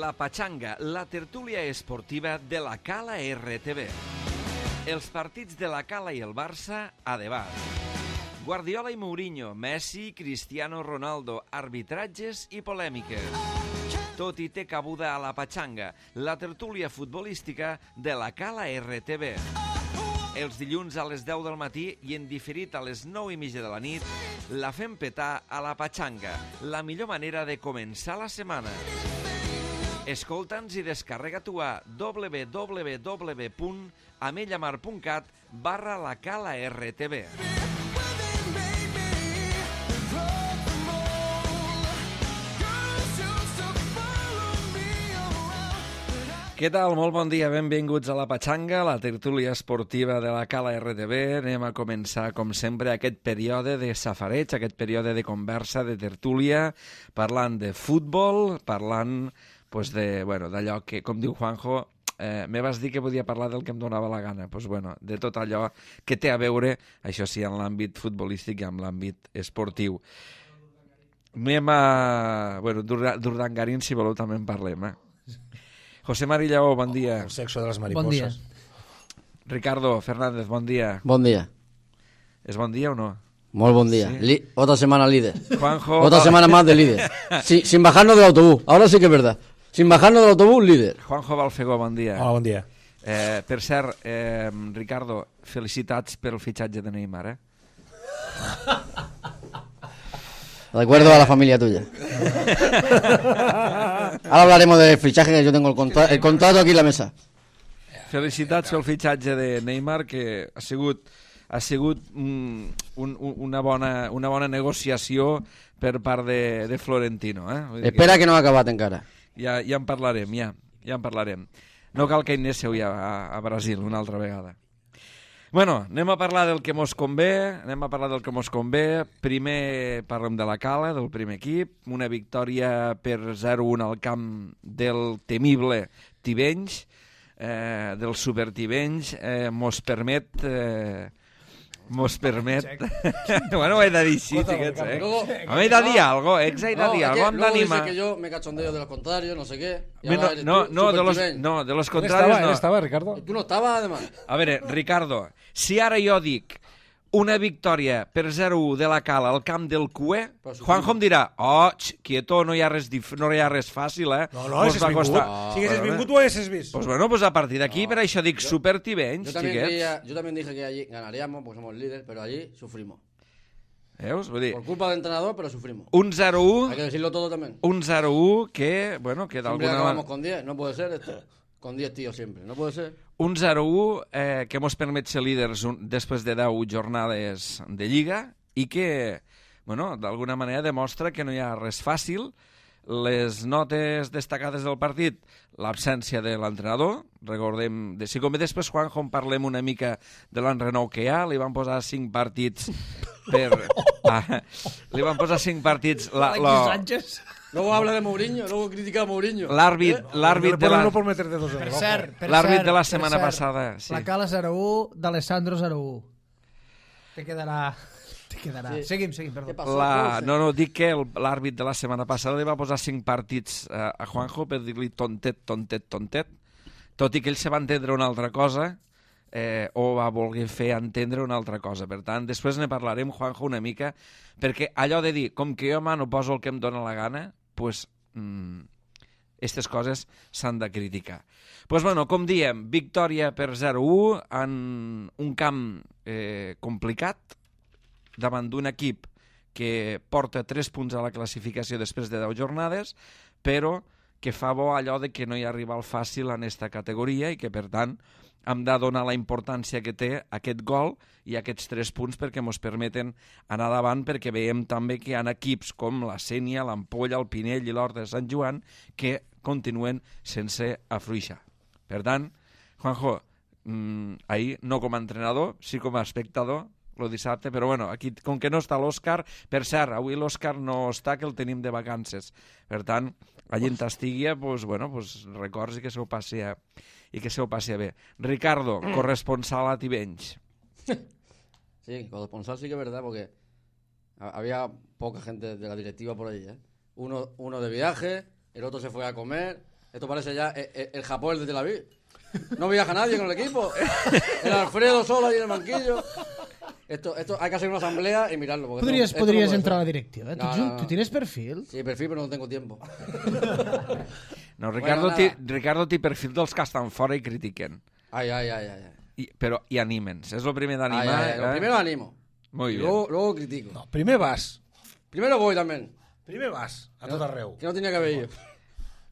La Pachanga, la tertúlia esportiva de la Cala RTV. Els partits de la Cala i el Barça a debat. Guardiola i Mourinho, Messi, Cristiano Ronaldo, arbitratges i polèmiques. Tot hi té cabuda a La Pachanga, la tertúlia futbolística de la Cala RTV. Els dilluns a les 10 del matí i en diferit a les 9:30 de la nit, la fem petar a La Pachanga, la millor manera de començar la setmana. Escolta'ns i descarrega-t'ho a www.amellamar.cat/la Cala RTV. Què tal? Molt bon dia, benvinguts a La Pachanga, la tertúlia esportiva de la Cala RTV. Anem a començar, com sempre, aquest període de safareig, aquest període de conversa, de tertúlia, parlant de futbol, parlant d'allò que, com diu Juanjo, me vas dir que podia parlar del que em donava la gana. De tot allò que té a veure, això sí, en l'àmbit futbolístic i en l'àmbit esportiu. Anem a... d'Urdangarín, si voleu, també en parlem, José Mari Lleó, bon dia. El sexo de les mariposas. Bon dia. Ricardo Fernández, bon dia. Bon dia. ¿Es bon dia o no? Molt bon día. Sí. Otra semana líder. Juanjo... Otra semana más de líder. Sí, sin bajarnos del autobús. Ahora sí que es verdad. Sin bajarnos del autobús, líder. Juanjo Balfegó, bon dia. Hola, bon dia. Per cert, Ricardo, felicitats pel fitxatge de Neymar, Recuerdo a la familia tuya. Ahora hablaremos del fichaje, que yo tengo el contrato aquí en la mesa. Felicitats pel fitxatge de Neymar, que ha sigut una bona negociació per part de Florentino. Espera que no ha acabat encara. Ja en parlarem, ja en parlarem. No cal que anéssiu ja a Brasil una altra vegada. Bueno, anem a parlar del que mos convé, Primer parlem de la Cala, del primer equip, una victòria per 0-1 al camp del temible Tivenys, del Super Tivenys, mos permet... Bueno, ho he de dir així, xiquets, He de dir algo, he de dir algo, hem d'animar. Luego dice que yo me cachondeo de los contrarios, no sé qué. No, de los contrarios no. ¿Él estaba, Ricardo? Tú no estabas, además. A veure, Ricardo, si ara jo dic una victòria per 0-1 de la Cala al camp del Cué, Juanjo em dirà, quieto, no hi ha res fàcil, No, haguessis vingut. Si haguessis vingut, ho haguessis vist. Pues a partir d'aquí, per això dic Super Tivenys, xiquets. Yo también dije que allí ganaríamos, porque somos líderes, pero allí sufrimos. Veus? Vull dir, Por culpa del entrenador, pero sufrimos. un 0-1... Hay que decirlo todo también. Un 0-1 que Siempre d'alguna acabamos manera... con 10, no puede ser esto. Con 10 tíos siempre, no puede ser. Un 0-1 que mos permet ser líders després de 10 jornades de Lliga i que, d'alguna manera demostra que no hi ha res fàcil. Les notes destacades del partit, l'absència de l'entrenador, recordem, si com després, Juanjo, en parlem una mica de l'enrenou que hi ha, li van posar 5 partits li van posar 5 partits... Luego habla de Mourinho, luego critica a Mourinho. L'àrbit de la... No por meterte dos en el ojo. L'àrbit de la setmana passada. Sí. La Cala 0-1, d'Alessandro 0-1. Te quedarà... Sí. Seguim, perdó. No, dic que l'àrbit de la setmana passada li va posar 5 partits a Juanjo per dir-li tontet, tot i que ell se va entendre una altra cosa o va voler fer entendre una altra cosa. Per tant, després ne parlarem, Juanjo, una mica, perquè allò de dir, com que jo no poso el que em dóna la gana, doncs aquestes coses s'han de criticar. Com diem, victòria per 0-1 en un camp complicat, davant d'un equip que porta 3 punts a la classificació després de 10 jornades, però que fa bo allò de que no hi ha rival fàcil en aquesta categoria i que, per tant, hem de donar la importància que té aquest gol i aquests 3 punts perquè ens permeten anar davant, perquè veiem també que hi ha equips com la Sénia, l'Ampolla, el Pinell i l'Horta de Sant Joan que continuen sense afluixar. Per tant, Juanjo, ahir no com a entrenador, sí com a espectador, el dissabte, però aquí, com que no està l'Òscar, per cert, avui l'Òscar no està, que el tenim de vacances. Per tant, allí en estigui, records i que s'ho passi bé. Ricardo, corresponsal a Tivenys. Sí, corresponsal sí que es verdad, porque había poca gente de la directiva por ahí, Uno de viaje, el otro se fue a comer, Esto parece ya el Japón de Tel Aviv. No viaja nadie con el equipo. El Alfredo solo ahí en el banquillo. Esto hay que hacer una asamblea y mirarlo. Podries entrar a la directiva. No. ¿Tú tienes perfil? Sí, perfil, però no tengo tiempo. No, Ricardo té perfil dels que estan fora i critiquen. Ai. Però i animen. És el primer d'animar. Lo primero animo. Muy bien. Luego critico. No, primer vas. Primero voy también. Primer vas, a tot arreu. Que no tenía que haber ido.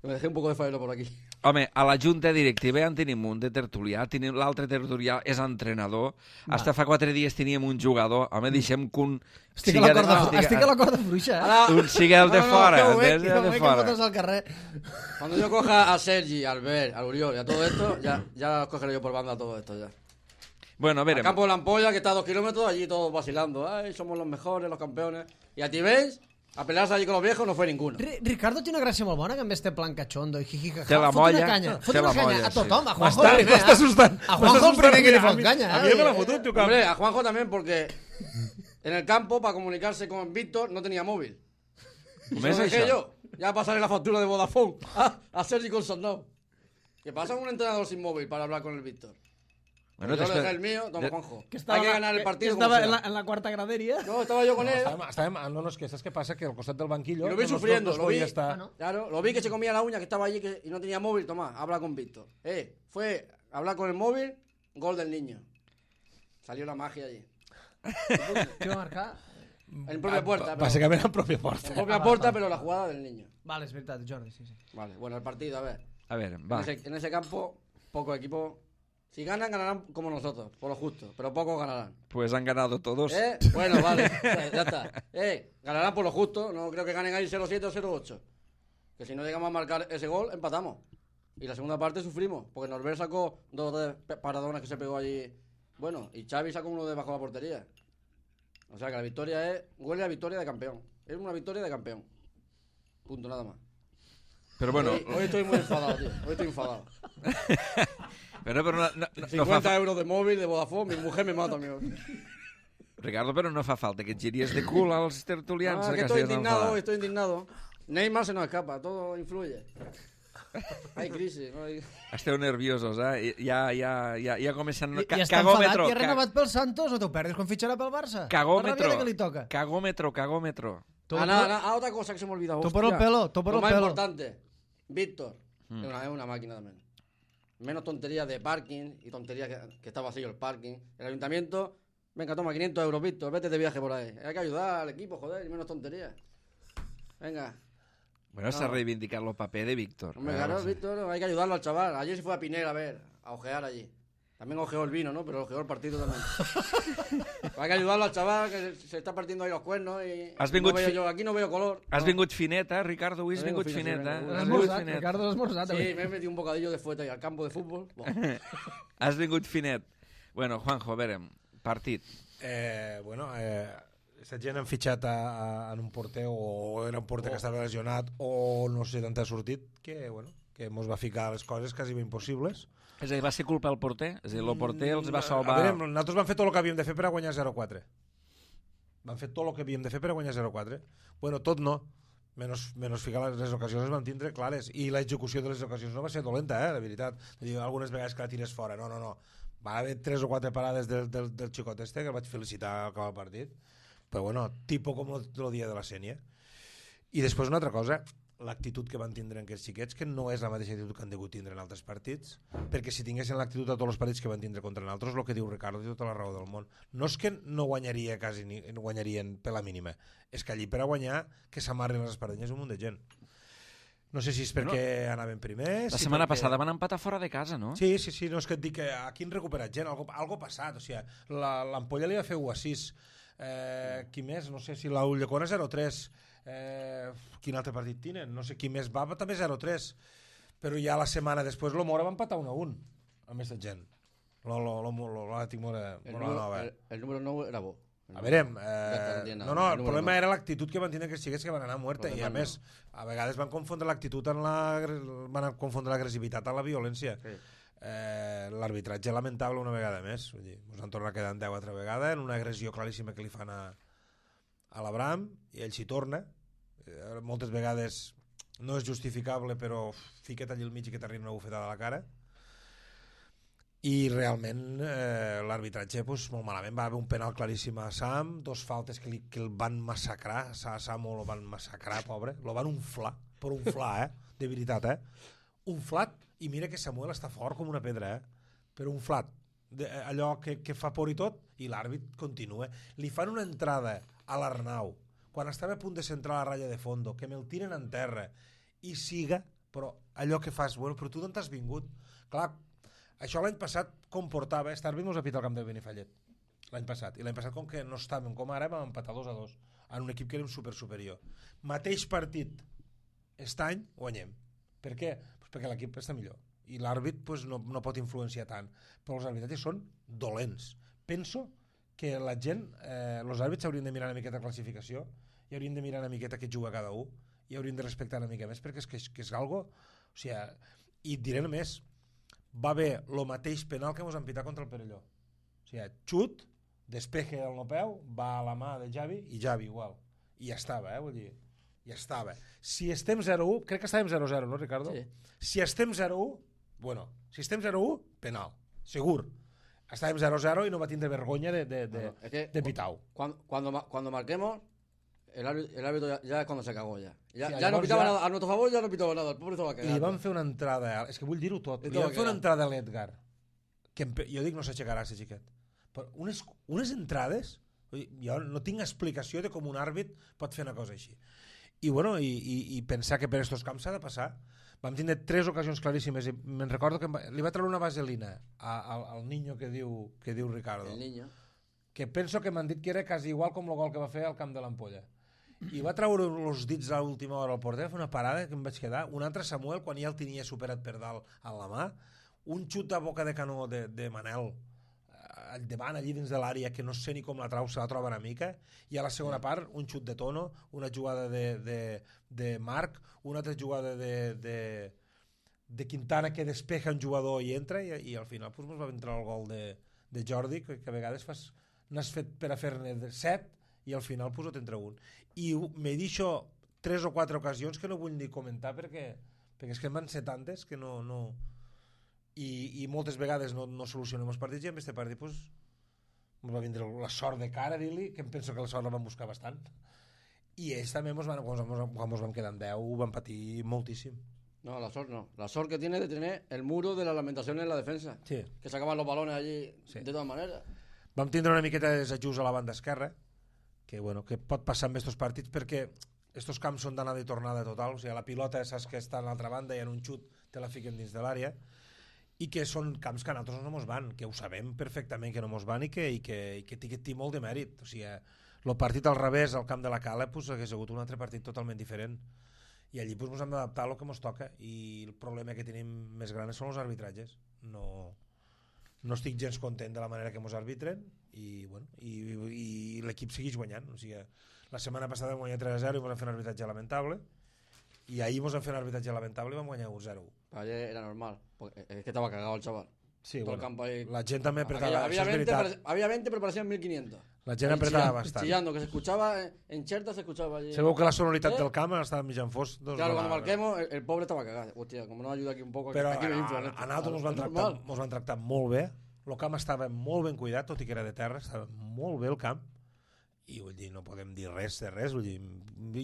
Me dejé un poco de faena por aquí. Home, a la junta directiva ja en tenim un de tertulià, l'altre tertulià és entrenador, hasta fa 4 dies teníem un jugador, home, deixem que un... Estic a la corda fluixa, Un sigui el de fora. Que fotos al carrer. Cuando yo coja a Sergi, a Albert, a Uriol y a todo esto, ya los cogeré yo por banda todo esto ya. Bueno, a Al veure... campo de la Ampolla, que está a 2 kilómetros, allí todos vacilando. Ay, somos los mejores, los campeones. Y a ti veis, a pelearse allí con los viejos no fue ninguno. Ricardo té una gràcia molt bona, que en vez de plan cachondo i jijijaja. Té la molla, Fot una canya a tothom, a Juanjo el primer. M'està assustant. A Juanjo el primer que li fot canya. A mi me la fotut, tu, Hombre, a Juanjo también porque en el campo, para comunicarse con Víctor, no tenía móvil. Y se ¿Ves lo dejé això? yo. Ya pasaré la factura de Vodafone a Sergi con Sondao. ¿Qué pasa con un entrenador sin móvil para hablar con el Víctor? Bueno, Yo le dejé el mío, toma Juanjo. Que Hay que ganar el partido como estava sea. en la quarta graderia. No, estaba yo con él. No, és que saps què passa? Que al costat del banquillo... Y lo vi no sufriendo, es lo vi. podia estar... Claro, lo vi que se comía la uña, que estaba allí y no tenía móvil. Toma, habla con Víctor. Fue a hablar con el móvil, gol del niño. Salió la magia allí. Què va marcar? En propia puerta. Pero, Bàsicament en pròpia porta. en propia puerta, pero la jugada del niño. Vale, és veritat, Jordi, sí. Vale, bueno, el partido, a ver. A veure, va. En ese campo, pocos equipos. Si ganan, ganarán como nosotros, por lo justo. Pero pocos ganarán. Pues han ganado todos. Bueno, vale, ya está. Ganarán por lo justo. No creo que ganen ahí 0-7 o 0-8. Que si no llegamos a marcar ese gol, empatamos. Y la segunda parte sufrimos. Porque Norbert sacó 2 de paradonas que se pegó allí. Bueno, y Xavi sacó uno de bajo la portería. O sea que la victoria huele a victoria de campeón. Es una victoria de campeón. Punto, nada más. Però bueno... Hoy estoy muy enfadado, tío. Hoy estoy enfadado. Però no 50 euros de móvil, de Vodafone, mi mujer me mata, amigo. Ricardo, però no fa falta que et giries de cul als tertulians. Que estoy indignado. Neymar se nos escapa, todo influye. Hay crisis. No hay... Esteu nerviosos, eh? Ja comencen... I està enfadat que ha renovat pel Santos o t'ho perdes quan fitxarà pel Barça? Cagómetro. La ràbia que li toca. Cagómetro. Otra cosa que se me ha olvidado. Tú por el pelo. Lo más importante, Víctor. Es una máquina también. Menos tonterías de parking y tonterías que está vacío el parking. El ayuntamiento, venga, toma 500 euros, Víctor, vete de viaje por ahí. Hay que ayudar al equipo, joder, y menos tonterías. Venga. Bueno, se ha reivindicado el paper de Víctor. Hombre, claro, Víctor, hay que ayudarlo al chaval. Ayer se fue a Pinel a ojear allí. También ojeó el vino, ¿no? Pero ojeó el partido también. Hay que ayudarlo al chaval, que se está partiendo ahí los cuernos y aquí no veo color. Has vingut finet, Ricardo? Avui has vingut finet, Has esmorzat, Ricardo, has esmorzat. Sí, me he metido un bocadillo de fueta ahí al campo de fútbol. Has vingut finet. Bueno, Juanjo, a veure, partit. Aquesta gent han fitxat en un porter o era un porter que estava lesionat o no sé d'on ha sortit que mos va ficar les coses quasi impossibles. És a dir, va ser culpa del porter? És a dir, el porter els va salvar... A veure, nosaltres vam fer tot el que havíem de fer per a guanyar 0-4. Vam fer tot el que havíem de fer per a guanyar 0-4. Bueno, tot no. Menys ficar les ocasions les vam tindre clares. I l'execució de les ocasions no va ser dolenta, la veritat. Algunes vegades que la tires fora. No. Va haver 3 o 4 parades del xicot este, que el vaig felicitar al acabar el partit. Però bueno, tipo com el dia de la Sènia. I després una altra cosa, l'actitud que van tindre en aquests xiquets, que no és la mateixa actitud que han degut tindre en altres partits, perquè si tinguessin l'actitud a tots els partits que van tindre contra nosaltres, el que diu Ricardo té tota la raó del món. No és que no guanyaria quasi no guanyarien per la mínima, és que allí per a guanyar que s'amarren les espardenyes un munt de gent. No sé si és perquè anaven primers... La setmana passada van empatar fora de casa, no? Sí, no és que et dic que aquí han recuperat gent, algo passat, o sigui, l'Ampolla li va fer 1-6, qui més? No sé si la Ulldecona 0-3, quin altre partit tenen? No sé qui més va, també 0-3, però ja la setmana després l'Omora va empatar 1-1 amb aquesta gent. L'Atlètic Mora Nova. El número 9 era bo. A veure, el problema era l'actitud que van tindre aquests xiquets que van anar a muerte i a més, a vegades van confondre l'actitud van confondre l'agressivitat amb la violència. L'arbitratge lamentable una vegada més, ens han tornat quedant 10 altra vegada en una agressió claríssima que li fan a l'Abraham i ell s'hi torna. Moltes vegades no és justificable, però fica't allí al mig i que t'arriba una bufetada a la cara. I realment l'arbitratge molt malament. Va haver un penal claríssim a Sam, 2 faltes que el van massacrar, a Sam el van massacrar, pobre, lo van unflar, però unflar, de veritat, unflat, i mira que Samuel està fort com una pedra, però unflat, allò que fa por i tot, i l'àrbit continua. Li fan una entrada a l'Arnau, quan estava a punt de centrar la ratlla de fondo, que me'l tiren en terra, i siga, però allò que fas, bueno, però tu d'on t'has vingut? Clar, això l'any passat comportava, Starbit mos ha pitat al camp del Benifallet, l'any passat, i l'any passat com que no estàvem com ara vam empatar 2-2, en un equip que érem superior. Mateix partit, aquest any guanyem. Per què? Pues perquè l'equip està millor, i l'àrbit pues, no pot influenciar tant, però els arbitratges són dolents. Penso que la gent, els àrbits haurien de mirar una miqueta classificació, i haurien de mirar una miqueta què juga cada un, i haurien de respectar una mica més, perquè és algo, o sigui, i et diré només, va haver el mateix penal que mos han pitat contra el Perelló. O sigui, xut, despeje del no peu, va a la mà de Javi, i Javi igual. I ja estava, vull dir, ja estava. Si estem 0-1, crec que estàvem 0-0, no, Ricardo? Sí. Si estem 0-1, bueno, si estem 0-1, penal, segur. Estàvem 0-0 i no va tindre vergonya de Pitau. Cuando marquemos, el árbitro ya es cuando se cagó ya. Sí, Ya no pitaba nada, a nuestro favor ya no pitaba nada, el pobre se va a cagar. Li van fer una entrada, és que vull dir-ho tot, li van fer una entrada a l'Edgar, que jo dic no s'aixecarà, ese xiquet. Però unes entrades, jo no tinc explicació de com un àrbit pot fer una cosa així. I bueno, i pensar que per estos camps s'ha de passar. Vam tindre 3 ocasions claríssimes i me'n recordo que li va treure una vaselina al niño que diu Ricardo. El niño. Que penso que m'han dit que era quasi igual com el gol que va fer al camp de l'Ampolla. I va treure els dits a l'última hora al porter, va fer una parada que em vaig quedar, un altre Samuel quan ja el tenia superat per dalt a la mà, un xut a boca de canó de Manel davant allí dins de l'àrea que no sé ni com la trau, se la troba una mica, i a la segona part un xut de Tono, una jugada de Marc, una altra jugada de Quintana que despeja un jugador i entra, i al final pues, va entrar el gol de Jordi, que a vegades n'has fet per a fer-ne 7 i al final pues, t'entra un. I m'he dit 3 o 4 ocasions que no vull ni comentar perquè és que en van ser tantes que no... I moltes vegades no solucionem els partits, i en aquest partit pues, ens va vindre la sort de cara, dir-li, que em penso que la sort la van buscar bastant, i ells també quan ens vam quedar en 10 van patir moltíssim. No, la sort no. La sort que tiene de tener el muro de la lamentación en la defensa. Sí. Que sacaban los balones allí Sí. de todas maneras. Vam tindre una miqueta de desajust a la banda esquerra, que pot passar amb aquests partits perquè estos camps són d'anada i tornada total, o sigui, la pilota saps que està a l'altra banda i en un xut te la fiquen dins de l'àrea, i que són camps que a nosaltres no mos van, que ho sabem perfectament que no mos van i que té molt de mèrit. O sigui, el partit al revés al camp de la Cala pues, hagués hagut un altre partit totalment diferent, i allí pues, hem d'adaptar al que mos toca, i el problema que tenim més gran són els arbitratges. No estic gens content de la manera que mos arbitren, i l'equip segueix guanyant. O sigui, la setmana passada vam guanyar 3-0 i mos han fet un arbitratge lamentable, i ahir mos han fet un arbitratge lamentable i vam guanyar 1-0. Ayer era normal, porque es que estaba cagado el chaval. Sí, Todo el campo ahí. la gent també apretava, Había això és 20, veritat. había 20, pero parecían 1500. La gent apretava bastant. Chillando, que se escuchaba en Cherta, se escuchaba allí. Sabeu que la sonoritat del camp estava mitjan fos. Doncs Claro, cuando marquemos, el pobre estaba cagado. Hostia, como no ayuda aquí un poco, Però aquí me inflan. a nosaltres mos van tractar molt bé, el camp estava molt ben cuidat, tot i que era de terra, estava molt bé el camp, i vull dir, no podem dir res de res. Vull dir,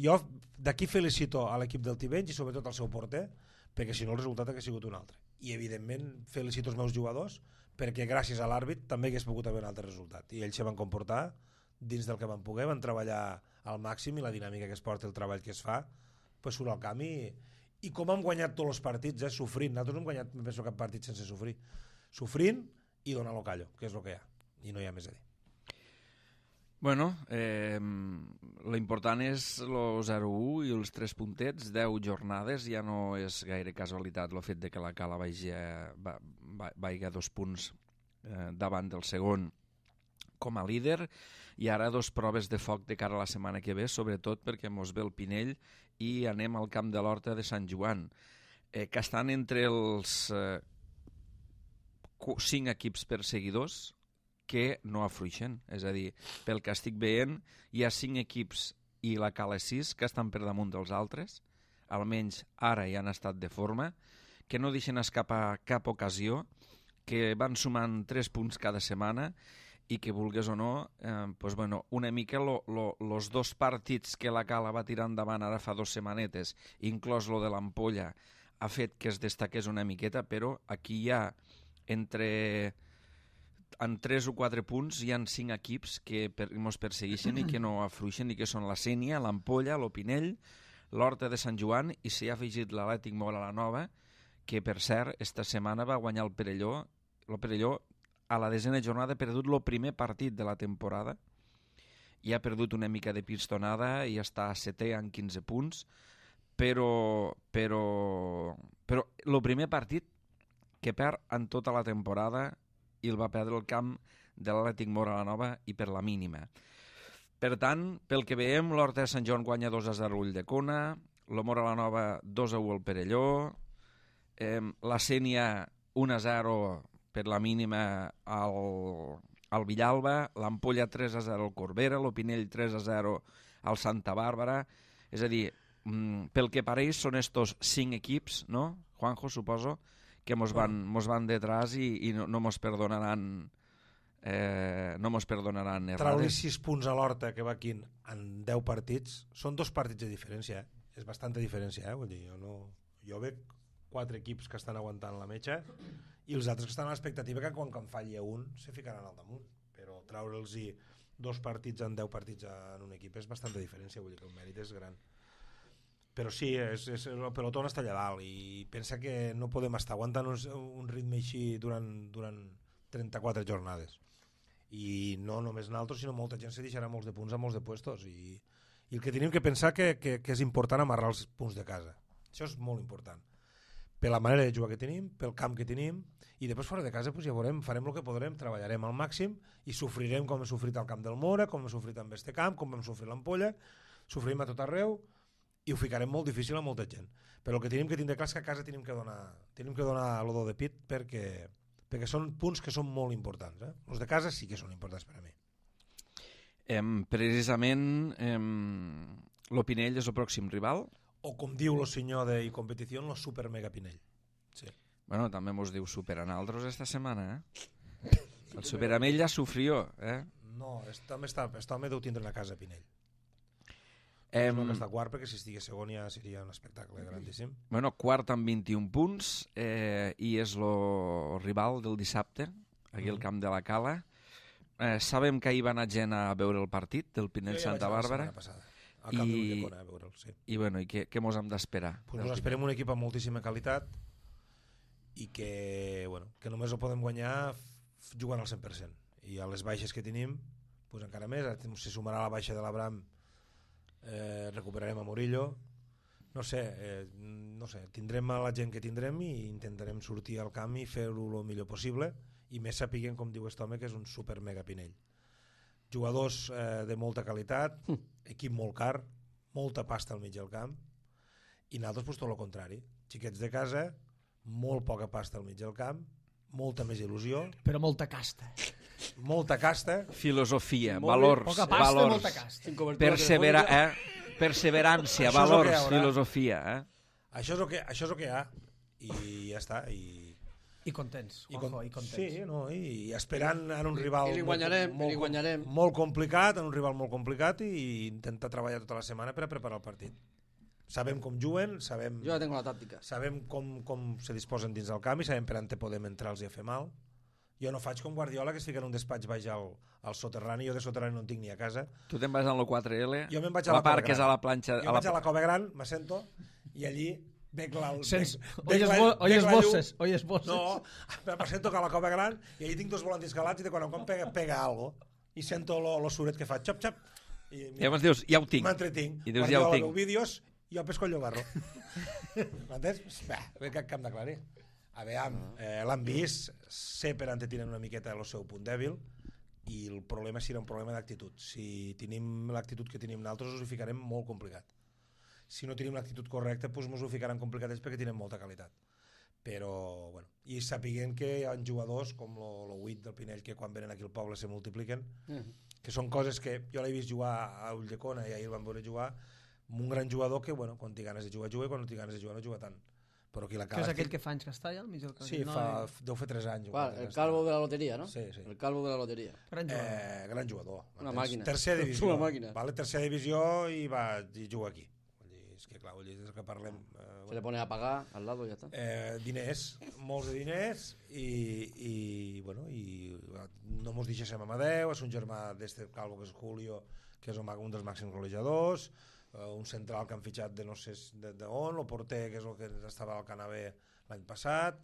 jo d'aquí felicito a l'equip del Tivenys i sobretot al seu porter, perquè si no el resultat hauria sigut un altre. I evidentment felicito els meus jugadors, perquè gràcies a l'àrbit també hagués pogut haver un altre resultat, i ells se van comportar dins del que van poder, van treballar al màxim, i la dinàmica que es porta, el treball que es fa, pues surt al camp, i com hem guanyat tots els partits, sofrint. Nosaltres no hem guanyat, penso, cap partit sense sofrir, sofrint i donar lo callo, que és el que hi ha, i no hi ha més a dir. Bueno, l'important és el 0-1 i els 3 puntets, 10 jornades, ja no és gaire casualitat el fet de que la Cala vagi a 2 punts davant del segon com a líder, i ara 2 proves de foc de cara a la setmana que ve, sobretot perquè mos ve el Pinell i anem al camp de l'Horta de Sant Joan, que estan entre els 5 equips perseguidors que no afluixen. És a dir, pel que estic veient, hi ha 5 equips i la Cala 6 que estan per damunt dels altres. almenys ara ja han estat de forma, que no deixen escapar cap ocasió, que van sumant 3 punts cada setmana i que, vulgues o no, pues bueno, una mica los 2 partits que la Cala va tirar endavant ara fa 2 setmanetes, inclòs lo de l'Ampolla, ha fet que es destaqués una miqueta, però aquí hi ha en 3 o 4 punts hi ha 5 equips que ens persegueixen i que no afluixen, i que són la Sénia, l'Ampolla, l'Opinell, l'Horta de Sant Joan, i s'hi ha afegit l'Atlètic Móra la Nova, que per cert esta setmana va guanyar el Perelló. El Perelló a la 10ª jornada ha perdut el primer partit de la temporada i ha perdut una mica de pistonada i està a 7è amb 15 punts, però el primer partit que perd en tota la temporada i el va perdre el camp de l'Atlètic Móra la Nova i per la mínima. Per tant, pel que veiem, l'Horta de Sant Joan guanya 2-0 Ulldecona, el Móra la Nova 2-1 al Perelló, la Sénia 1-0 per la mínima al Villalba, l'Ampolla 3-0 al Corbera, l'Opinell 3-0 al Santa Bàrbara. És a dir, pel que pareix són estos 5 equips, no, Juanjo, suposo, que mos van detrás i no mos perdonaran errades. Traure 6 punts a l'Horta, que va aquí en 10 partits, són 2 partits de diferència, és bastanta diferència, vull dir, jo veig 4 equips que estan aguantant la metxa i els altres que estan a l'expectativa que quan falli un se ficaran al damunt, però traure'ls 2 partits en 10 partits en un equip és bastanta diferència, vull dir que el mèrit és gran. Però sí, el pelotó està allà dalt i pensa que no podem estar aguantant un ritme així durant 34 jornades. I no només nosaltres, sinó molta gent se deixarà molts de punts a molts de puestos i el que tenim que pensar que és important amarrar els punts de casa. Això és molt important. Per la manera de jugar que tenim, pel camp que tenim, i després fora de casa pues ja veurem, farem el que podrem, treballarem al màxim i sofrirem com hem sofrit al camp del Móra, com hem sofrit amb este camp, com hem sofrit l'Ampolla, sofrim a tot arreu i ho ficarem molt difícil a molta gent. Però el que tenim que tindre clar és que a casa tenim que donar l'odor de pit perquè són punts que són molt importants. Els de casa sí que són importants per a mi. Precisament l'Opinell és el pròxim rival? O com diu el senyor de competició, el super mega Pinell. Sí. Bueno, també mos diu super a naltros esta setmana, El super Amell ja sofrió, No, este home deu tindre una casa a Pinell. No que està quart, perquè si estigués segon ja seria un espectacle grandíssim. Bueno, quart amb 21 punts i és el rival del dissabte, aquí al camp de la Cala. Sabem que ahir va anar gent a veure el partit del Pinell Santa Bàrbara. Al camp d'Ulldecona, a veure'l, sí. I bueno, què mos hem d'esperar? Pues ens esperem un equip amb moltíssima qualitat i que només ho podem guanyar jugant al 100%. I a les baixes que tenim, pues encara més, se sumarà la baixa de l'Abram, recuperarem a Murillo, no sé, tindrem a la gent que tindrem i intentarem sortir al camp i fer-ho el millor possible, i més sapiguem, com diu aquest home, que és un super mega Pinell. Jugadors de molta qualitat, equip molt car, molta pasta al mig del camp, i nosaltres pues, tot el contrari, xiquets de casa, molt poca pasta al mig del camp, molta més il·lusió, però molta casta, filosofia, valors, poca pasta, valors, molta casta, perseverància, valors, filosofia. Això és el que hi ha i ja està. I contents, Juanjo, i contents. Sí, no, i esperant en un rival guanyarem. Molt complicat, i intentar treballar tota la setmana per a preparar el partit. Sabem com juguen, jo ja tengo la tàctica. Sabem com se disposen dins del camp i sabem per on podem entrar-los i a fer mal. Jo no faig com Guardiola, que es fica en un despatx baix al soterrani, jo de soterrani no en tinc ni a casa. Tu te'n vas al 4L, jo me'n vaig a la part que és a la planxa... Jo vaig a la Cova Gran, m'assento, i allí Oyes voces. No, me sento que a la Cova Gran i allí tinc 2 volants calats i de quan en quan pega algo i sento lo suret que fa xop xop i llavors dius, ja ho tinc, m'entretinc, i dius, ja ho tinc, veu vídeos i jo pesco el llogarro. M'entens? Bé, que cap d'aclarir. A veure, l'han vist, sé per on tenen una miqueta el seu punt dèbil i el problema serà un problema d'actitud. Si tenim l'actitud que tenim nosaltres us ho ficarem molt complicat. Si no tenim l'actitud correcta, doncs ens ho ficaran complicat perquè tenen molta qualitat. Però, bueno, i sapiguem que hi ha jugadors com el 8 del Pinell que quan venen aquí al poble se multipliquen, que són coses que jo l'he vist jugar a Ulldecona i ahir el van veure jugar, un gran jugador que, bueno, quan té ganes de jugar, juga, i quan no té ganes de jugar, no juga tant. Però aquí la Que Cala... és aquell que fa anys que està allà al mig del camp. Sí, deu fer 3 anys. Clar, el calvo de la loteria, ¿no? Sí, sí. El calvo de la loteria. Gran jugador. Gran jugador. Una màquina. Tercera divisió. Una màquina. Vale, tercera divisió i juga aquí. Vull dir, és que clar, vull dir, des que parlem... Se le pone a pagar al lado y ya está. Diners, molts de diners i bueno, i no mos deixem Amadeu, és un germà d'este calvo que és Julio, que és un dels màxims golejadors, un central que han fitxat de no sé d'on, el porter que és el que estava al Canabé l'any passat,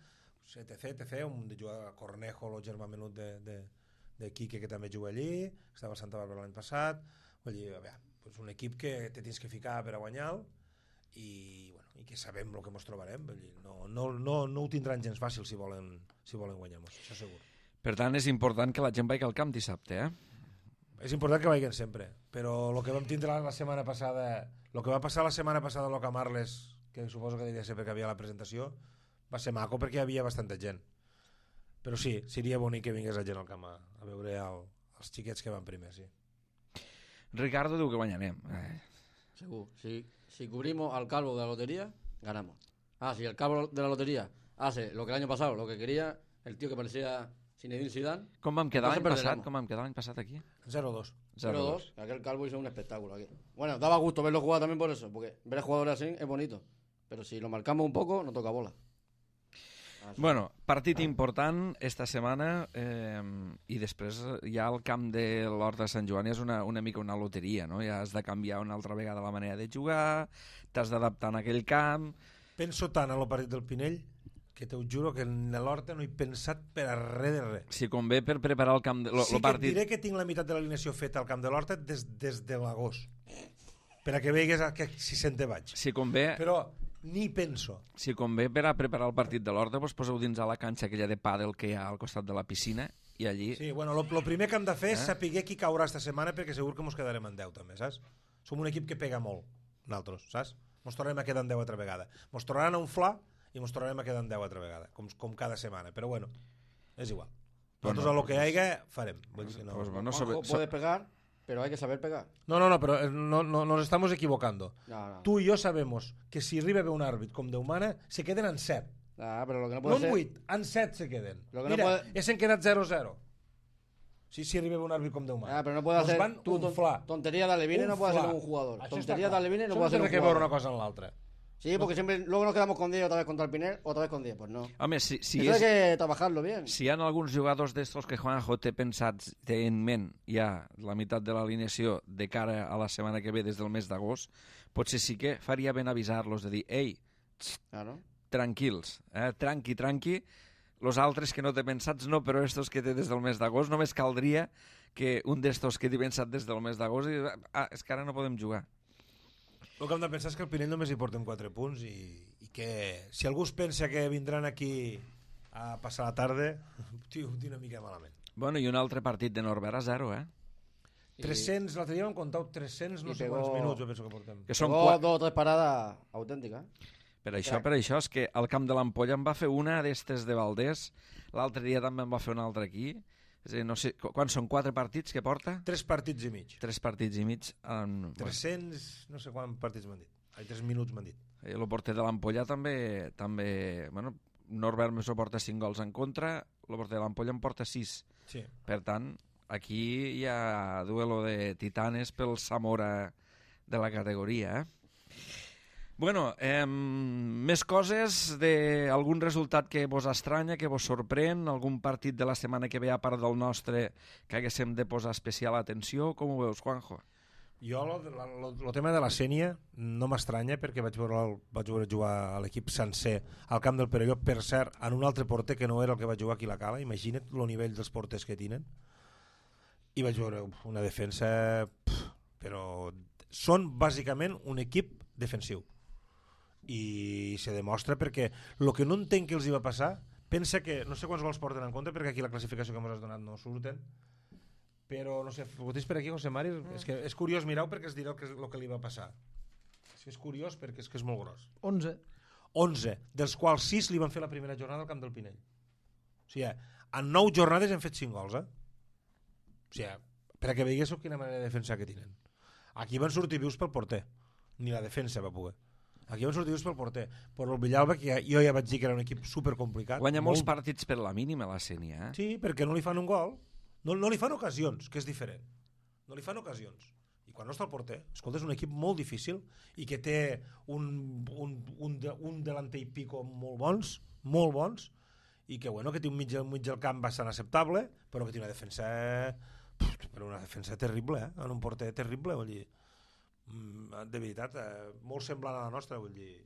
etc, un de jugar Cornejo, el germà menut de Quique, que també juga allí, estava a Santa Bàrbara l'any passat. Vull dir, és un equip que te tens que ficar per a guanyar i, bueno, i que sabem el que ens trobarem. Vull dir, no ho tindran gens fàcil si volen guanyar-nos, això segur. Per tant, és important que la gent vagi al camp dissabte, És important que vagin sempre, però el que vam tindre la setmana passada, el que va passar la setmana passada a l'Ocamarles, que suposo que devia ser perquè havia la presentació, va ser maco perquè hi havia bastanta gent. Però sí, seria bonic que vingués la gent al camp a veure els xiquets que van primer, sí. Ricardo diu que guanyarem. Seguro. Si cubrimos al calvo de la lotería, ganamos. Si el calvo de la lotería hace lo que el año pasado, lo que quería, el tío que parecía Zinedine Zidane. Com vam quedar entonces l'any passat aquí? 0-2. 0-2. Aquel calvo hizo un espectáculo aquí. Bueno, daba gusto verlo jugar también por eso, porque ver a jugadores así es bonito. Pero si lo marcamos un poco, no toca bola. Bueno, partit important esta setmana i després ja el camp de l'Horta de Sant Joan és una mica una loteria, no? Ja has de canviar una altra vegada la manera de jugar, t'has d'adaptar en aquell camp... Penso tant a lo partit del Pinell que te ho juro que en l'Horta no he pensat per a res de res. Si convé per preparar el camp de Sí que partit... et diré que tinc la meitat de l'alineació feta al camp de l'Horta des de l'agost, per a que veigues que si se'n te vaig. Si convé... Però ni penso. Si convé per a preparar el partit de l'Horta, doncs poseu dins a la canxa aquella de pàdel que hi ha al costat de la piscina i allí... Sí, bueno, lo primer que hem de fer és saber qui caurà esta setmana perquè segur que mos quedarem en 10 també, saps? Som un equip que pega molt, nosaltres, saps? Mos tornarem a quedar en 10 altra vegada. Mos tornaran a inflar i mos tornarem a quedar en 10 altra vegada, com cada setmana, però bueno, és igual. Nosaltres a lo que hi hagi farem. Vull dir que no... Pues bueno, Juanjo puede pegar, pero hay que saber pegar. No, pero no nos estamos equivocando. No. Tú y yo sabemos que si arriba ve un àrbit com Déu mana, se queden en 7. Pero lo que no No puede en ser... 8, en 7 se queden. Lo que Mira, no puede... s'han quedat 0-0. Si arriba un àrbit com Déu mana. pero no puede Nos hacer van tú unflar. tontería de Alevine, no puede hacer Unflar. un jugador. Això Tontería està de Alevine no Això puede hacer té un que veure una jugador. cosa en l'altra. Sí, porque siempre luego nos quedamos con 10 otra vez contra el Pinel, otra vez con 10. Pues no. Home, si Eso hay que trabajarlo bien. hi ha alguns jugadors d'estos que Juanjo té pensats, té en ment ja la meitat de l'alineació de cara a la setmana que ve des del mes d'agost, potser sí que faria ben avisar-los de dir, ei, Claro. tranquils, tranqui, los altres que no té pensats no, però estos que té des del mes d'agost, només caldria que un d'estos que té pensat des del mes d'agost i és que ara no podem jugar. El que hem de pensar és que el Pinell només hi portem 4 punts i que si algú es pensa que vindran aquí a passar la tarda, tio, ho tinc una mica malament. Bueno, i un altre partit de Norbert a 0, 300, l'altre dia hem comptat 300 no I sé pegó- quants minuts, jo penso que portem. que són Luego 2 o 3 paradas auténticas. Per això és que al camp de l'Ampolla em va fer una d'estes de Valdés, l'altre dia també em va fer una altra aquí. És a dir, no sé, quan són 4 partits que porta? 3 partits i mig. 3 partits i mig. 300, no sé quants partits m'han dit. 3 minuts m'han dit. El porter de l'Ampolla també bueno, Norbert Mesó porta 5 gols en contra, el porter de l'Ampolla en porta 6. Sí. Per tant, aquí hi ha duelo de titanes pel Zamora de la categoria, Bueno, més coses d'algun resultat que vos estranya, que vos sorprèn, algun partit de la setmana que ve a part del nostre que haguéssim de posar especial atenció, com ho veus, Juanjo? Jo el tema de la Sènia no m'estranya perquè vaig veure jugar a l'equip sencer al camp del Perelló, per cert, en un altre porter que no era el que va jugar aquí a la Cala. Imagina't el nivell dels porters que tenen. I vaig veure una defensa... però són bàsicament un equip defensiu. I se demostra perquè el que no entenc que els hi va passar, pensa que no sé quants gols porten en compte perquè aquí la classificació que ens has donat no surten, però no sé, ho tens per aquí, José Mari? És que és curiós, mireu perquè es dirà el que li va passar. És curiós perquè és que és molt gros. 11, dels quals 6 li van fer la primera jornada al camp del Pinell. O sigui, en 9 jornades hem fet 5 gols, O sigui, per a que veiéssiu quina manera de defensar que tenen. Aquí van sortir vius pel porter. ni la defensa va poder. Aquí van sortir just pel porter. Però el Villalba, que jo ja vaig dir que era un equip supercomplicat. Guanya molts partits per la mínima, la Sénia. Sí, perquè no li fan un gol. No li fan ocasions, que és diferent. No li fan ocasions. I quan no està el porter, escolta, és un equip molt difícil i que té un delanter i pico molt bons, i que, bueno, que té un mig del camp bastant acceptable, però que té una defensa terrible, en un porter terrible, vull dir, de veritat, molt semblant a la nostra, vull dir,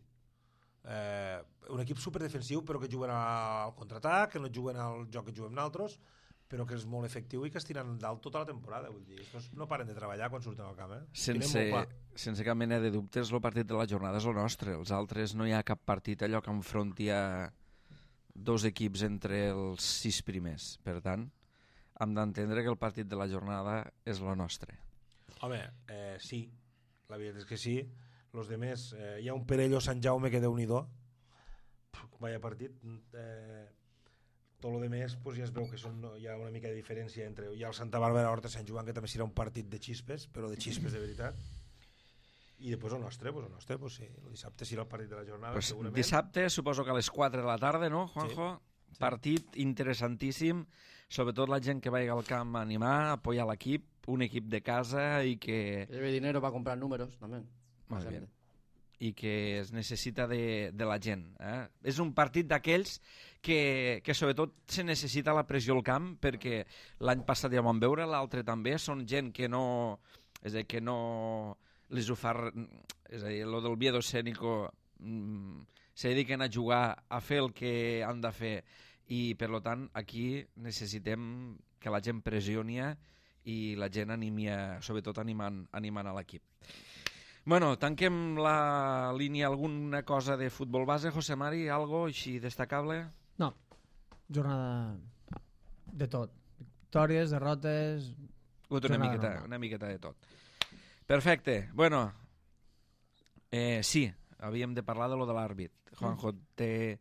un equip superdefensiu però que juguen al contraatac, que no juguen al joc que juguem nosaltres, però que és molt efectiu i que es tiren dalt tota la temporada, vull dir, no paren de treballar quan surten al camp, Sense cap mena de dubtes, el partit de la jornada és el nostre. Els altres no hi ha cap partit allò que enfronti a dos equips entre els 6 primers. Per tant, hem d'entendre que el partit de la jornada és el nostre. Home, sí, la veritat és que sí. Los demés, hi ha un Perello Sant Jaume que Déu-n'hi-do, vaya partit. Tot el demés pues, ja es veu que hi ha una mica de diferència entre hi ha el Santa Bàrbara Horta Sant Joan, que també serà un partit de xispes, però de xispes de veritat. I després el nostre, sí, el dissabte serà el partit de la jornada, segurament. Dissabte, suposo que a les 4 de la tarda, no, Juanjo? Sí. Partit interessantíssim, sobretot la gent que vagi al camp a animar, a apoyar l'equip, un equip de casa i que... Lleve dinero para comprar números, també. Molt bé. I que es necessita de la gent. És un partit d'aquells que sobretot se necessita la pressió al camp, perquè l'any passat ja vam veure, l'altre també, són gent que no... És a dir, que no... les ho fa... És a dir, lo del Viedo Escénico se dediquen a jugar, a fer el que han de fer, i per tant aquí necessitem que la gent pressioni i la gent animi, sobretot animant a l'equip. Bueno, tanquem la línia. Alguna cosa de futbol base, José Mari? Algo així destacable? No, jornada de tot. Victòries, derrotes... Una miqueta de tot. Perfecte. Bueno, sí, havíem de parlar de lo de l'àrbit. Juanjo, te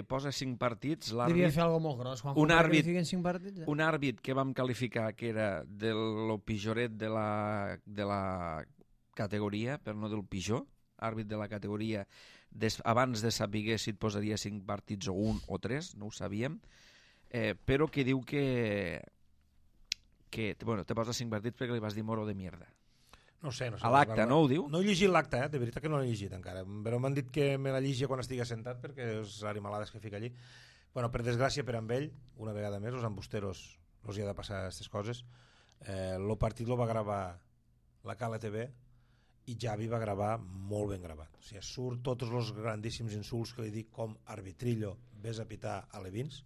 posa 5 partits, l'àrbit... Devia fer alguna molt gros, Juanjo, perquè li fiquen 5 partits. Un àrbit que vam qualificar que era de lo pitjoret de la categoria, però no del pitjor, àrbit de la categoria, abans de saber si et posaria 5 partits o 1 o 3, no ho sabíem, però que diu que bueno, te posa 5 partits perquè li vas dir moro de mierda. No sé. A l'acte, no ho diu? No he llegit l'acte, de veritat que no l'he llegit encara, però m'han dit que me la llegia quan estigui assentat perquè és animalades que fica allí. Bueno, per desgràcia per amb ell, una vegada més, els embusteros els hi ha de passar aquestes coses. El partit lo va gravar la Cala TV i Javi va gravar molt ben gravat. O sigui, surt tots els grandíssims insults que li dic, com arbitrillo, vés a pitar a Levins.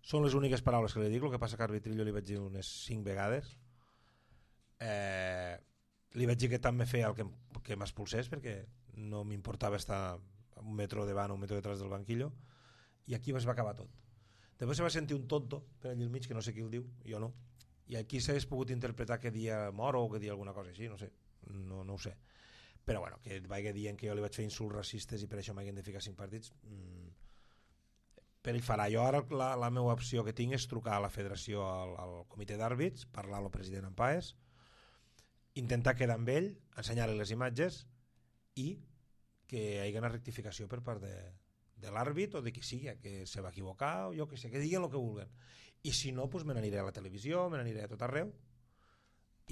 Són les úniques paraules que li dic, el que passa que arbitrillo li vaig dir unes 5 vegades. Li vaig dir que tant me feia el que m'expulsés, perquè no m'importava estar un metro davant o un metro detrás del banquillo, i aquí es va acabar tot. Després se va sentir un tonto per allà al mig, que no sé qui el diu, jo no, i aquí s'hagués pogut interpretar que dia moro o que dia alguna cosa així, no sé, no ho sé, però bueno, que vagi dient que jo li vaig fer insults racistes i per això m'hagin de ficar 5 partits, per ell farà. Jo ara la meva opció que tinc és trucar a la federació, al comitè d'àrbits, parlar amb el president Ampaes, intentar quedar amb ell, ensenyar-li les imatges i que hi hagi una rectificació per part de l'àrbit o de qui sigui, que se va equivocar o jo que sé, que diguin el que vulguen. I si no, doncs me n'aniré a la televisió, me n'aniré a tot arreu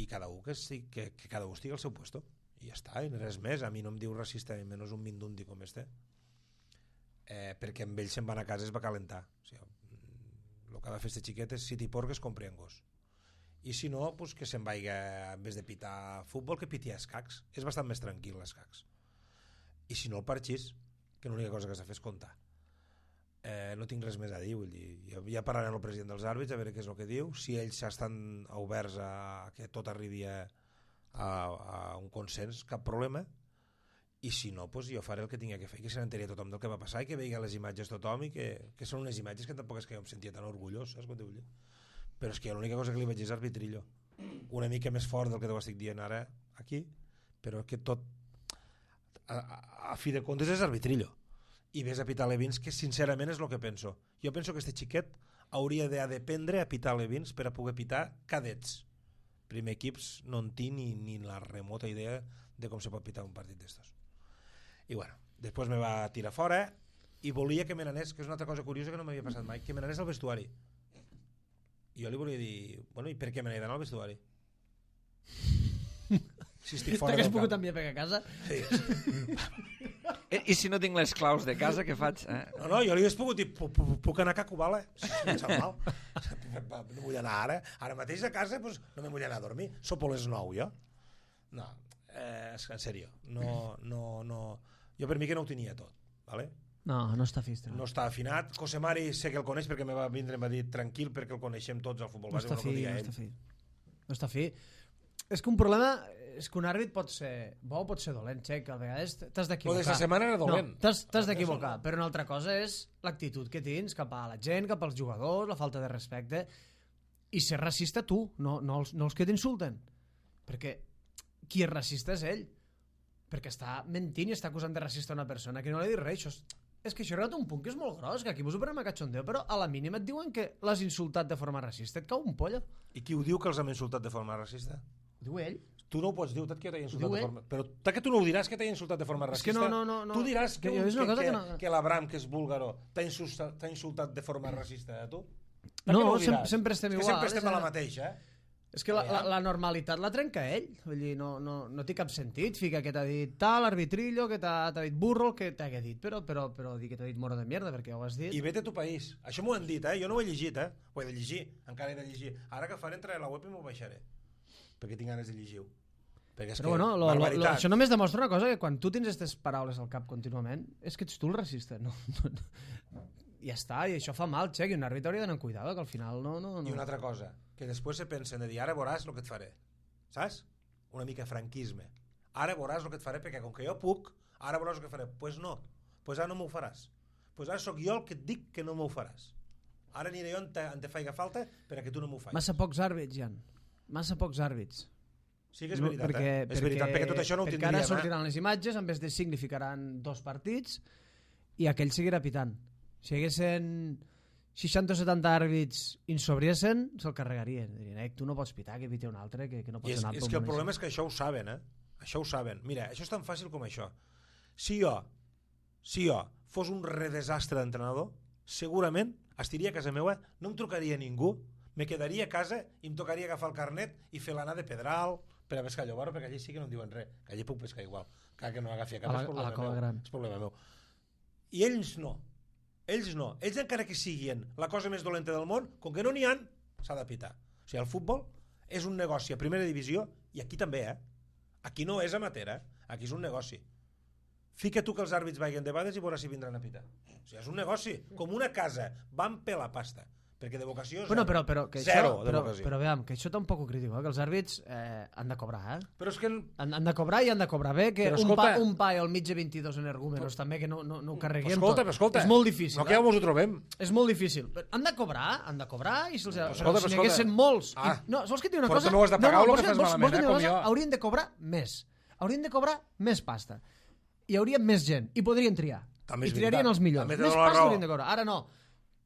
i cada un que cada un estigui al seu puesto i ja està, i res més. A mi no em diu racista ni menys un mindundi com este, perquè amb ell se'n van a casa es va calentar. O sigui, el que ha de fer este xiquet és si t'hi porc es compri en gos, i si no, pues que se'n vagi, en vez de pitar futbol, que piti a escacs. És bastant més tranquil l'escacs. I si no, el parxís, que l'única cosa que s'ha de fer és comptar. No tinc res més a dir, vull dir, ja parlaré amb el president dels àrbits a veure què és el que diu, si ells estan oberts a que tot arribi a un consens, cap problema, i si no, pues jo faré el que tinc que fer, que se n'enteri tothom del que va passar i que vegi les imatges tothom, i que són unes imatges que tampoc és que jo em sentia tan orgullós, saps què vull dir? Però és que l'única cosa que li vaig dir és arbitrillo, una mica més fort del que t'ho estic dient ara aquí, però que tot a fi de comptes és arbitrillo, i ves a pitar Levins, que sincerament és el que penso. Jo penso que este xiquet hauria d'aprendre a pitar Levins per a poder pitar cadets, primer equips no en tinc ni la remota idea de com se pot pitar un partit d'estos. I bueno, després me va tirar fora i volia que me n'anés, que és una altra cosa curiosa que no m'havia passat mai, que me n'anés al vestuari. I jo li volia dir, bueno, i per què me n'he d'anar al vestuari? Si estic fora T'hagués del pogut camp. enviar per a casa? Sí. I si no tinc les claus de casa, què faig? No, jo li hauria pogut dir, puc anar a Cacubala? Si em sap mal. No vull anar ara. Ara mateix a casa pues, no me vull anar a dormir. Sopo a les 9, jo. No, en sèrio. No. Jo per mi que no ho tenia tot. ¿Vale? No està fistre. No està afinat. Cosemari sé que el coneix perquè me va vindre i em va dir tranquil perquè el coneixem tots al futbol No base. està no fi, dia no ell. està fi. No està fi. És que un problema és que un àrbit pot ser bo o pot ser dolent, Xec, a vegades t'has d'equivocar. Lo d'esta setmana era dolent. No, t'has d'equivocar, però una altra cosa és l'actitud que tens cap a la gent, cap als jugadors, la falta de respecte, i ser racista tu, no els que t'insulten. Perquè qui és racista és ell, perquè està mentint i està acusant de racista una persona que no li ha dit res. És que això ha arribat a un punt que és molt gros, que aquí vos ho prenem a cachondeo, però a la mínima et diuen que l'has insultat de forma racista, et cau un pollo. I qui ho diu que els hem insultat de forma racista? Ho diu ell. Tu no ho pots dir, tot que jo t'he insultat Diu de ell. forma... Però tant que tu no ho diràs que t'he insultat de forma És racista. que no. Tu diràs Que és una cosa que no- que l'Abram, que és búlgaro, t'ha insultat de forma racista, tu? Per No, què ho diràs? sempre estem És que igual. sempre estem a la mateixa, És que la normalitat la trenca ell. Vull dir, no té cap sentit. Fica que t'ha dit tal, arbitrillo, que t'ha dit burro, que t'ha dit, però dir que t'ha dit moro de mierda, perquè ho has dit. I vete a tu país. Això m'ho han dit, Jo no ho he llegit, Ho he de llegir. Encara he de llegir. Ara que faré, entraré a la web i m'ho baixaré. Perquè tinc ganes de llegir-ho. Perquè és Però que, bueno, barbaritat. això només demostra una cosa, que quan tu tens aquestes paraules al cap contínuament, és que ets tu el racista. No. Ja està, i això fa mal, Xec, i un àrbitre hauria d'anar amb cuidado, que al final no. I una altra cosa, que després se pensen de dir, ara veuràs el que et faré. Saps? Una mica franquisme. Ara veuràs el que et faré, perquè com que jo puc, ara veuràs el que faré. Pues no, pues ara no m'ho faràs. Pues ara sóc jo el que et dic que no m'ho faràs. Ara aniré jo on te faiga falta perquè tu no m'ho facis. Massa pocs àrbits, Jan. Massa pocs àrbits. Sí que és veritat, És veritat, perquè tot això no ho perquè tindríem. ara sortiran les imatges, en vez de 5 li ficaran 2 partits i aquell seguirà pitant. Si hi haguessin 60 o 70 àrbits insobriesen, se'l carregarien. Dirien, tu no pots pitar, que piti un altre, que no pots anar. És que el problema és que això ho saben, Això ho saben. Mira, això és tan fàcil com això. Si jo fos un redesastre d'entrenador, segurament estiria a casa meva, no em trucaria ningú, me quedaria a casa i em tocaria agafar el carnet i fer l'anar de Pedral per a pescar llobarro, perquè allí sí que no em diuen res, que allí puc pescar igual, que no agafi a cap, a la cova gran. És problema meu. I ells no. Ells encara que siguin la cosa més dolenta del món, com que no n'hi han, s'ha de pitar. O sigui, el futbol és un negoci a primera divisió, i aquí també, Aquí no és amateur, Aquí és un negoci. Fica tu que els àrbits vagin de bades i veuràs si vindran a pitar. O sigui, és un negoci, com una casa, van per la pasta. Perquè de vocació Bueno, però que zero això, de vocació. però veiem, que això tampoc ho critico, que els àrbits han de cobrar, Però és que... Han de cobrar i han de cobrar bé, que Però escolta- un pa al mig de 22 energúmenos també, que no ho carreguem Escolta, tot. escolta. És molt difícil. No que ja mos ho trobem. És molt difícil. Han de cobrar i si els... escolta, si n'hi escolta. haguessin molts... Ah. No, vols que et digui una Però cosa? també ho has de pagar o lo que fas malament, vols que et digui una com cosa? jo. Haurien de cobrar més. Haurien de cobrar més pasta. Hi hauria més gent. I podrien triar. També és I triarien veritat. els millors. També Més tens la pasta raó. haurien de cobrar. Ara no.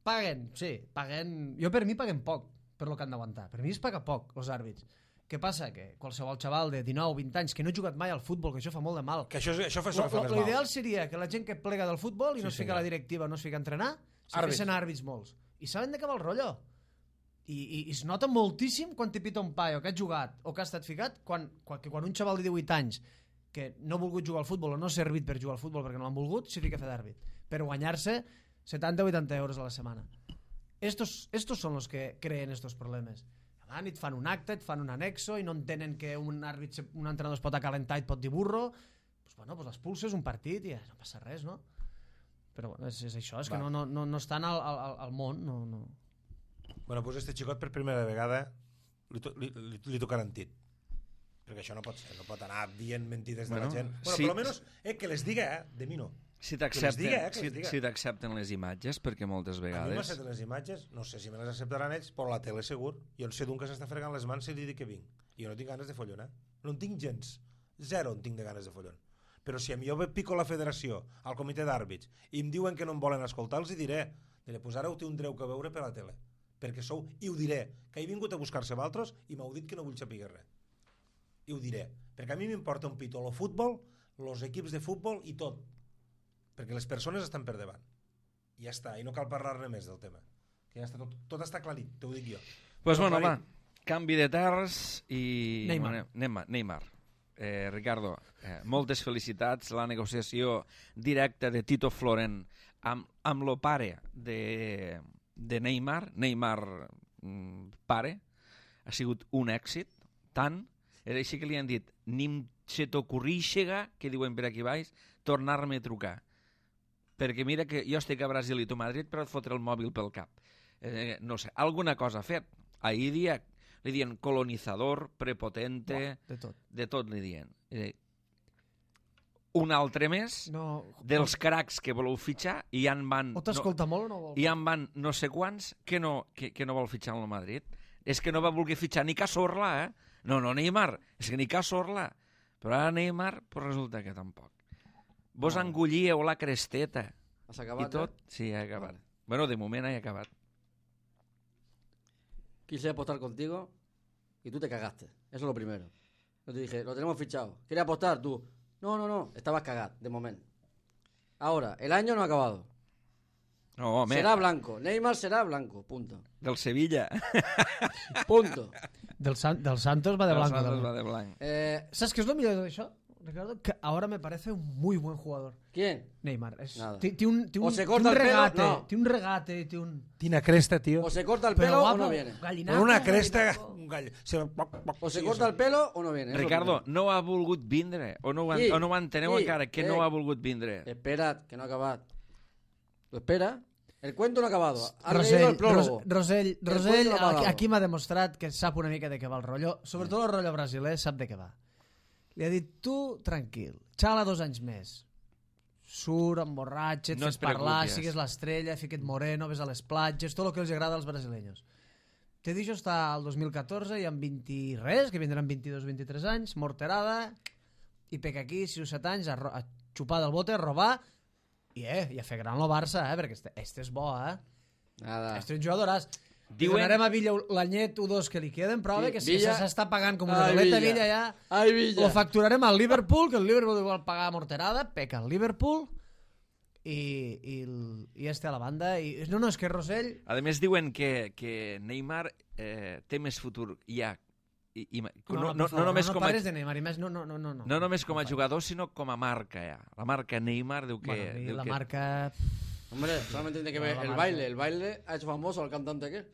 Paguen, sí, paguen... Jo per mi paguen poc per lo que han d'aguantar. Per mi es paga poc, els àrbits. Què passa? Que qualsevol xaval de 19 o 20 anys que no ha jugat mai al futbol, que això fa molt de mal. Que això fa més mal. L'ideal seria que la gent que plega del futbol i no es fica a la directiva, no es fica a entrenar, se Àrbits. fessin àrbits molts. I saben de què va el rotllo. I es nota moltíssim quan t'hi pita un paio que ha jugat o que ha estat ficat, quan un xaval de 18 anys que no ha volgut jugar al futbol o no ha servit per jugar al futbol perquè no l'han volgut, s'hi fica a fer d'àrbit. Per guanyar-se 70 o 80 euros a la setmana. Estos son los que creen estos problemes. Van i et fan un acte, et fan un anexo i no entenen que un entrenador es pot acalentar i et pot dir burro. Pues l'expulses un partit i no passa res, no? Però bueno, és això, és que no estan al món. No. Bueno, doncs este xicot per primera vegada li tocaran tit. Perquè això no pot ser, no pot anar dient mentides de la gent. Bueno, sí. per almenys que les diga, de mi no. Si Que les diga. t'accepten les imatges, perquè moltes A mi vegades... m'accepten les imatges, no sé si me les acceptaran ells, però la tele segur. Jo en sé d'un que s'està fregant les mans i li dic que vinc. I jo no tinc ganes de follonar. No en tinc gens. Zero en tinc de ganes de follon. Però si a mi jo pico la federació, al comitè d'àrbits, i em diuen que no em volen escoltar, els hi diré, pues ara ho tindreu que veure per la tele. perquè sou, i ho diré, que he vingut a buscar-se vosaltres i m'heu dit que no vull saber res. I ho diré, perquè a mi m'importa un pito el futbol, els equips de futbol i tot, perquè les persones estan per davant. I ja està, i no cal parlar-ne més del tema. Que ja està tot està aclarit, t'ho dic jo. Pues bueno, va, canvi de terres i... Neymar. Ricardo, moltes felicitats. La negociació directa de Tito Floren amb lo pare de Neymar, pare, ha sigut un èxit, tant, és així que li han dit, nim se t'ocorríxega, que diuen per aquí baix, tornar-me a trucar. Perquè mira que jo estic a Brasil i tu a Madrid, però et fotre el mòbil pel cap. No sé, alguna cosa ha fet. Ahir li diuen colonitzador, prepotente, de tot li diuen. Un altre més dels cracs que voleu fitxar i ja en van... O t'escolta molt o no vol? I ja en van no sé quants que no vol fitxar en el Madrid. És que no va voler fitxar ni Cazorla, No, Neymar, és que ni Cazorla. Però ara Neymar, pues resulta que tampoc. Vos engollíeu la cresteta. Has acabat, i tot? Sí, he acabat. Bueno, de moment he acabat. Quise apostar contigo y tú te cagaste. Eso es lo primero. Yo te dije, lo tenemos fichado. ¿Quieres apostar tú? No. Estabas cagado, de momento. Ahora, el año no ha acabado. No, home. Será blanco. Neymar será blanco. Punto. Del Sevilla. Punto. Del Santos va de blanco. Santos va de blanco. ¿Sabes qué es lo mejor de eso, Ricardo? Que ahora me parece un muy buen jugador. ¿Quién? Neymar. Nada. Tiene O se corta el pelo, no. Tiene un regate, tiene un... Tiene cresta, tío. O se corta el Pero pelo guapo, o no viene. gallinaco, Con una cresta... gallinaco. Un gall... O se corta el pelo o no viene. Eso Ricardo, es lo primero. no ha volgut vindre. O no ho enteneu encara, que no ha volgut vindre. Espera, que no ha acabado. ¿Lo espera? El cuento no ha acabado. Ha leído el prólogo. Rosell cuento no ha acabado. aquí m'ha demostrat que sap una mica de què va el rotllo. Sobretot el rotllo brasiler sap de què va. Li ha dit, tu, tranquil, xala 2 anys més. Surt, emborratxa't, No fes et parlar, preocupes. sigues l'estrella, fiquet moreno, ves a les platges, tot el que els agrada als brasileños. Te deixo estar al 2014 i amb 20 i res, que vindran 22-23 anys, morterada, i peca aquí 6 o 7 anys a xupar del bote, a robar, i a fer gran el Barça, perquè este és bo, Nada. Este és un jugadoràs. Diuen- Donarem a Villa l'anyet o 2 que li queden, però Sí, que si Villa- s'està pagant com una Ai, doleta, Villa. Villa ja... Ai, Villa. Lo facturarem al Liverpool, que el Liverpool igual pagar morterada, peca el Liverpool, i este a la banda. No, és que Rosell... A més, diuen que Neymar té més futur ja. No només com a... parles de Neymar, i més, no. No només com a jugador, sinó com a marca, ja. La marca Neymar diu que... Bueno, i diu la que... marca... Hombre, solamente tiene que ver No, la el marca. baile. El baile ha hecho famoso al cantante aquel.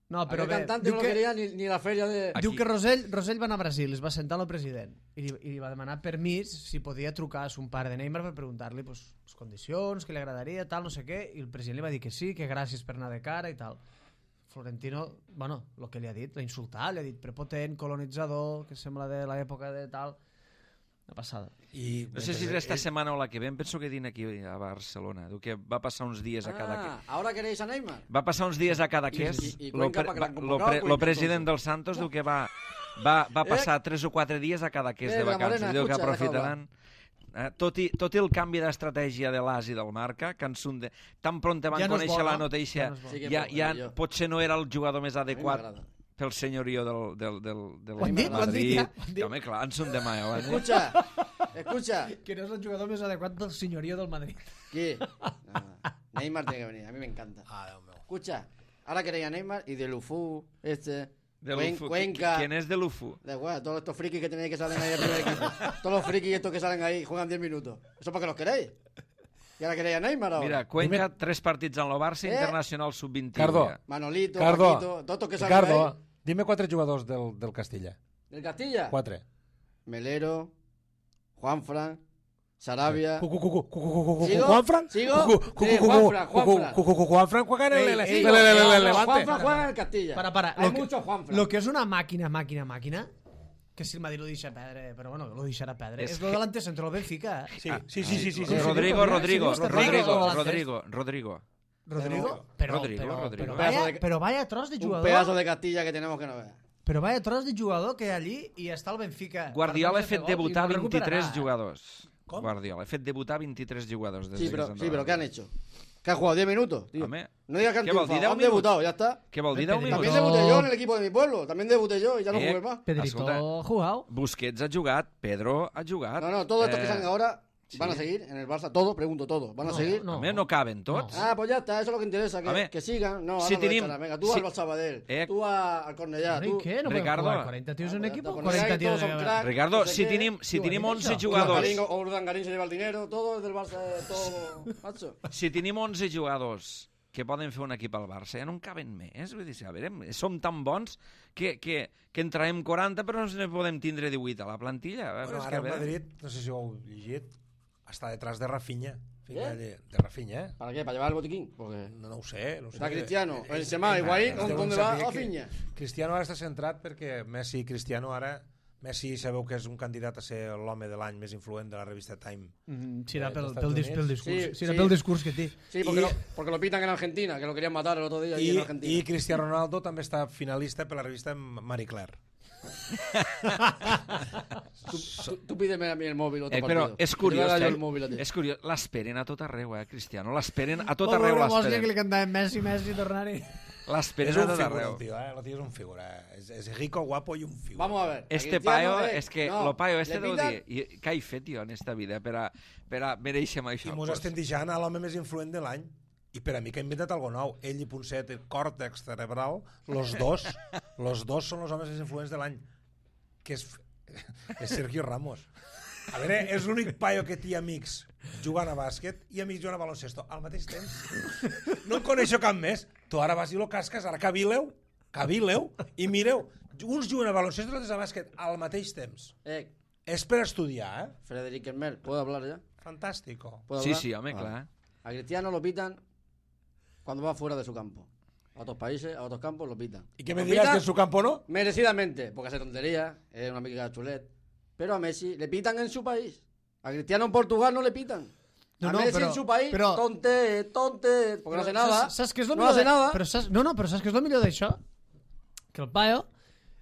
No, però Aquel bé, cantante no lo quería ni la feria de... diu que Rosell va anar a Brasil, es va sentar al president i li va demanar permís si podia trucar a son pare de Neymar per preguntar-li pues, les condicions, que li agradaria, tal, no sé què, i el president li va dir que sí, que gràcies per anar de cara i tal. Florentino, bueno, el que li ha dit, l'ha insultat, li ha dit prepotent, colonitzador, que sembla de l'època de tal... Una passada. I No sé si és esta setmana o la que ve, em penso que dina aquí a Barcelona. Diu que va passar uns dies a cada... ¿ahora queréis a Neymar? Va passar uns dies a Cadaqués. I Cuenca pa Gran Convocado, Lo Cuenca, president entonces. del Santos diu que va passar 3 o 4 dies a Cadaqués de la vacances. Morena, Diu que escucha, aprofitaran... Tot i el canvi d'estratègia de l'AS i del Marca, que tan pront van Ja no és conèixer bo, la no? notícia, Ja no és bo. Sí que ja millor. potser no era el jugador més A mi adequat m'agrada. pel senyorio del Ho han dit, Madrid. ja, ho han dit. Home, clar, en són demà, ja ho han dit. Escucha. Que no és el jugador més adequat del senyorio del Madrid. ¿Qué? Nada. Neymar tiene que venir, a mí me encanta. Déu meu. Escucha, ahora queréis a Neymar y de Lufu, De l'UFU. Cuenca. ¿Quién es de l'UFU? Da igual, todos estos frikis que tenéis que salen ahí al primer equipo. Todos los frikis estos que salen ahí juegan 10 minutos. ¿Eso para qué los queréis? ¿Y ahora queréis a Neymar ahora? Mira, Cuenca, 3 partits en el Barça, Internacional Sub-21. Cardo. Manolito, Cardo, Paquito, todos estos que salen Ricardo, ahí. dime 4 jugadors del Castilla. ¿Del Castilla? 4. Melero, Juanfran, Sarabia. ¿Sigo? ¿Juanfran? ¿Sigo? Sí, Juanfran. Juanfran juega en el Ey, Levante. Juanfran juega en el Castilla. Para. Hay muchos Juanfran. Lo que és una màquina, que si el Madrid lo deixa perdre, però bueno, lo deixarà perdre. És lo de l'antecentro del Benfica. Sí. Rodrigo. Rodrigo, Rodrigo. però vaya tros de Un jugador. pedazo de Castilla que tenemos que no ver. Però vaya tros de jugador que hi ha allí i està al Benfica. Guardiola ha fet debutar 23 jugadors. jugadors. Guardiola ha fet debutar 23 jugadors. Sí, pero ¿qué han hecho? Que ha jugado 10 minutos, tío. Home, No digas que han ¿qué vol dir, triunfado, 10 han minuts? debutado, ya está. Què vol dir 10 Pedrito. También minuts? No. debuté yo en el equipo de mi pueblo. También debuté yo y ya no Eh, jugué más. Pedrito Escolta. ha jugado. Busquets ha jugat, Pedro ha jugat. No, todos estos que Eh, salen ahora sí. van a seguir en el Barça. Todos, pregunto todos. ¿Van a seguir? no. Home, no caben tots. Ah, pues ya está, eso es lo que interesa, Home, que sigan. No, si ahora no tenim- dejarán. Venga, tú si- al Barça Sabadell, Eh, tú al Cornellà, ¿Y tú... qué? ¿No pueden Ricardo. jugar 40 tíos en un Pues ya equipo? está, 40 Cornellà, tíos todos son de... cracks. Ricardo, no sé si qué. tenim Diu, 11 dicho. jugadors, Urdangarín se lleva el dinero, todo es del Barça, todo, macho. si tenim 11 jugadors que poden fer un equip al Barça, ja no en caben més. Vull dir, a veure, som tan bons que en traiem 40 però no podem tindre 18 a la plantilla. Bueno, És que, ara a el veure, Madrid, no sé si ho heu llegit, està detrás de Rafinha. Fica ¿Eh? de Rafinha, ¿eh? ¿Para qué? ¿Para llevar el botiquín? Porque No ho sé. No ho sé. está Cristiano, Benzema, Higuaín, ¿dónde va? A Finya. Cristiano ara està centrat perquè Messi i Cristiano ara... Messi sabeu que és un candidat a ser l'home de l'any més influent de la revista Time. Sí, era dels pel Estats discurs. Units. Sí, era Sí, pel sí. discurs que té. Sí, porque lo pitan en Argentina, que lo querían matar el otro día allí en Argentina. I Cristiano Ronaldo també està finalista per la revista Marie Claire. Tú pídeme a mí el móvil otro però partido. és Te curiós, voy a dar yo el móvil a ti. és curiós, l'esperen a tot arreu, Cristiano, l'esperen a tot Pobre arreu, Bosnia que l'esperen. li cantàvem Messi, tornar-hi. L'esperen És a un tot figura, arreu. el tio, eh? El tio és un figura. És rico, guapo i un figura. Vamos a ver. a Este Cristiano, paio, és que no, lo paio le este deu pitan- dir, i què he fet jo en esta vida per a mereixer això? I mos estem deixant a l'home més influent de l'any. I per a mi que ha inventat algo nou. Ell i Ponset, el còrtex cerebral, los dos són els homes més influents de l'any. Que és Sergio Ramos. A veure, és l'únic paio que té amics jugant a bàsquet i amics jugant a baloncesto al mateix temps. No en coneixo cap més. Tu ara vas i lo casques, ara cavileu, i mireu, uns juguen a baloncesto i altres a bàsquet al mateix temps. És per estudiar, eh? Frederic Hermel, ¿puedo hablar ya? Fantàstico. ¿Puedo Sí, hablar? sí, home, Vale. clar. A Cristiano lo pitan cuando va fuera de su campo. A otros países, a otros campos lo pitan. ¿Y qué me Lo dirás pitan que en su campo no? Merecidamente, porque hace tonterías, es una amiga de chulet. Pero a Messi le pitan en su país. A Cristiano en Portugal no le pitan. No, a no, Messi però- en su país, però- tonte, porque no hace nada. Saps què és el no millor hace nada. Però saps, però saps què és el millor d'això? Que el paio...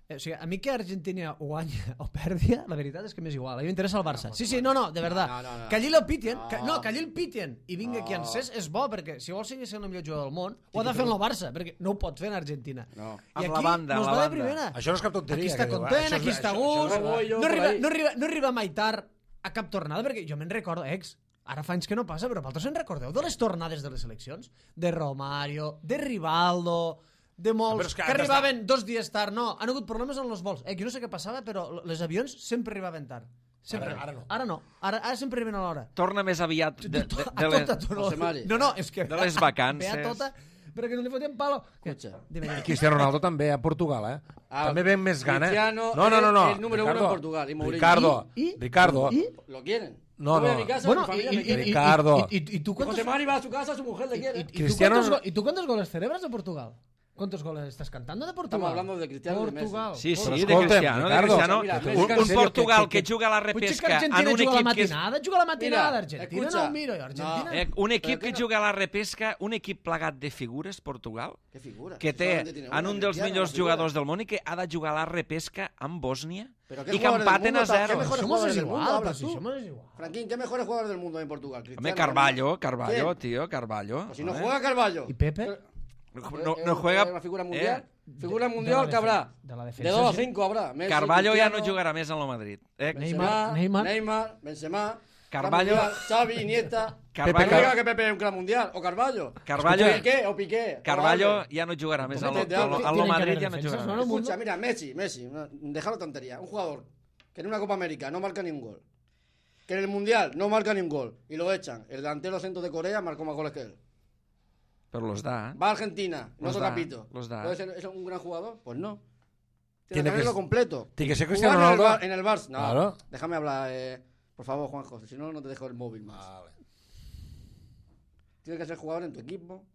O sigui, a mi que Argentina guanya o perdia, la veritat és que m'és igual. A mi m'interessa el Barça. Sí, sí, no, de verdad. No. Que allí lo pitien, No. que allí el pitien i vinga qui en No. cés és bo, perquè si vol seguir sent el millor jugador del món, ho ha de fer en el Barça, perquè no ho pot fer en Argentina. No. I Amb la aquí banda, nos amb la va de banda. primera. Això no és cap tonteria. Aquí està que diu, content, això és- aquí està a això gust, és- No voy yo no por ahí. arriba mai tard a cap tornada, perquè jo me'n recordo, ara fa anys que no passa, però vosaltres en recordeu de les tornades de les seleccions? De Romario, de Rivaldo, de Però molts, és que que han arribaven 2 dies tard. No, han hagut problemes en els vols. Jo no sé què passava, però les avions sempre arribaven tard. Sempre. Ara no. Ara no. Ara sempre arriben a l'hora. Torna més aviat de les... José Mari. No, és que... De les vacances. Ve a tota, però que no li fotem palo. Escucha. Dime. Cristiano Ronaldo també a Portugal, eh? Ah, també ven més gana. Cristiano No. es el número uno en Portugal, y Mourinho. Ricardo, ¿Y? Ricardo. ¿Y? Lo quieren. No, Yo voy a no. mi casa, Bueno, mi familia me y, quiere. Ricardo. y tú cuántos... José Mari va a su casa, su mujer le quiere. Cristiano- ¿Y tú cuántos goles celebras de Portugal? ¿Cuántos goles estás cantando de Portugal? Estamos hablando de Cristiano y de Messi. Portugal. Sí, sí, Però de escolta'm, Cristiano, Ricardo, mira, un Portugal que juga a la Potser que repesca Argentina en un juga a la equip que és... matinada, juga a la matinada, Mira, Argentina escucha. no ho miro, Argentina... No. Un equip Però que que no- juga a la repesca, un equip plegat de figures, Portugal, ¿Qué figura? que Si té solamente tiene una, en un dels Cristiano, millors una figura. jugadors del món i que ha de jugar a la repesca amb Bòsnia Pero ¿qué i que jugadores del empaten mundo a está- qué zero. mejores Somos jugadores del igual, mundo pero hablas si tú? somos igual. Franquín, ¿qué mejores jugadores del mundo hay en Portugal? Home, Cristiano, Carvalho, ¿Quién? tío, Carvalho. Pues si no Home. juega Carvalho. ¿Y Pepe? No juega... Una figura mundial. Figura de mundial la que habrá. de la De defensa, 2 a sí. 5 habrá. Messi, Carvalho ja no Cristiano, jugarà més en el Madrid. Neymar. Neymar, Benzema, Carvalho- Mundial, Xavi, Iniesta. Carvalho- No diga que Pepe es un gran mundial. O Carvalho. Carvalho- O Piqué. Carvalho ja no jugarà més en Comete de algo. el Tienen que Madrid, haber ja no defensas, jugarà ¿no? més. Escucha, mira, Messi, déjalo tontería. Un jugador que en una Copa América no marca ni un gol. Que en el Mundial no marca ni un gol. Y lo echan. El delantero centro de Corea marcó más goles que él. Però los da. Va a Argentina, no Los toca da, pito. los da. ¿Puede ser es un gran jugador? Pues no. Tiene Tiene que que hacerlo ser- completo. Tiene que ser Jugar Cristiano Ronaldo. en el Barça. No, Claro. déjame hablar. Por favor, Juanjo. Si no, no te dejo el móvil más. Vale. Tienes que ser jugador en tu equipo,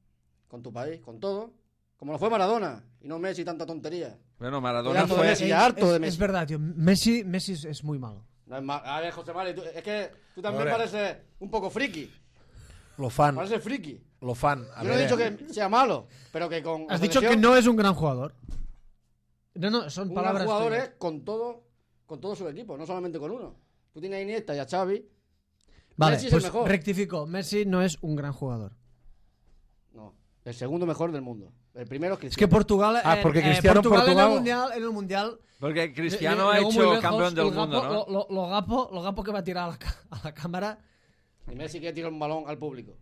con tu país, con todo. Como lo fue Maradona. Y no Messi, tanta tontería. Bueno, Maradona Cuidando de fue... Messi. harto de Es Messi. verdad, tío. Messi es muy malo. No es mal. A ver, José Mari, es que tú también Hombre. pareces un poco friki. Lo fan, Pareces friki. lo fan. A Yo no he dicho que sea malo, pero que con. Has la dicho que selección, no es un gran jugador. No, son un gran palabras jugador tuyas. es con todo su equipo, no solamente con uno. Tú tienes a Iniesta y a Xavi. Vale, Messi es el pues mejor. rectifico. Messi no es un gran jugador. El segundo mejor del mundo. El primero es Es que Cristiano. Portugal, porque Cristiano en Portugal Portugal- en el mundial Porque Cristiano ha llegó muy hecho lejos, campeón del el mundo, gapo- ¿no? Lo gapo que va a tirar a la cámara. Y Messi que tira un balón al público.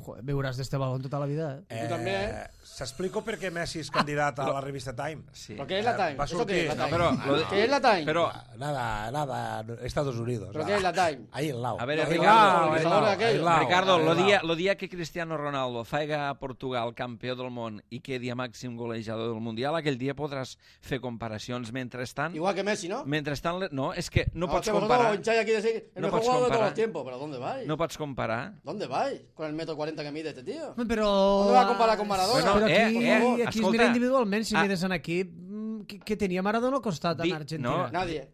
Joder, viuràs d'este balón tota la vida, Tu també, eh? S'explico per què Messi és candidat a la revista Time. Sí. ¿Pero qué es la Time? Va a ¿Eso qué es la sortir- Time? No, pero lo de- ¿Qué es la Time? Pero, Nada, Estados Unidos. ¿Pero qué es la Time? Ahí al lado. A ver, Ahí al Ricardo, lado, el ahí al organizador lado, de aquello. ahí al lado, Ricardo, ahí al lado. lo dia que Cristiano Ronaldo faiga a Portugal campió del món i quedi a màxim golejador del Mundial, aquell dia podràs fer comparacions. Mentrestant, Igual que Messi, ¿no? no, és que no pots que vosotros comparar. hincháis aquí de decir el No mejor pots jugador de todos comparar. los tiempos. ¿Pero dónde vais? No pots comparar. ¿Dónde vais? Con el metro 40 que mide este tío. Però... ¿Dónde va a comparar con Maradona? Bueno, Però aquí, aquí es escolta. mira individualment, si Ah. mires en equip, que tenia Maradona al costat en Di- Argentina. no. Nadie.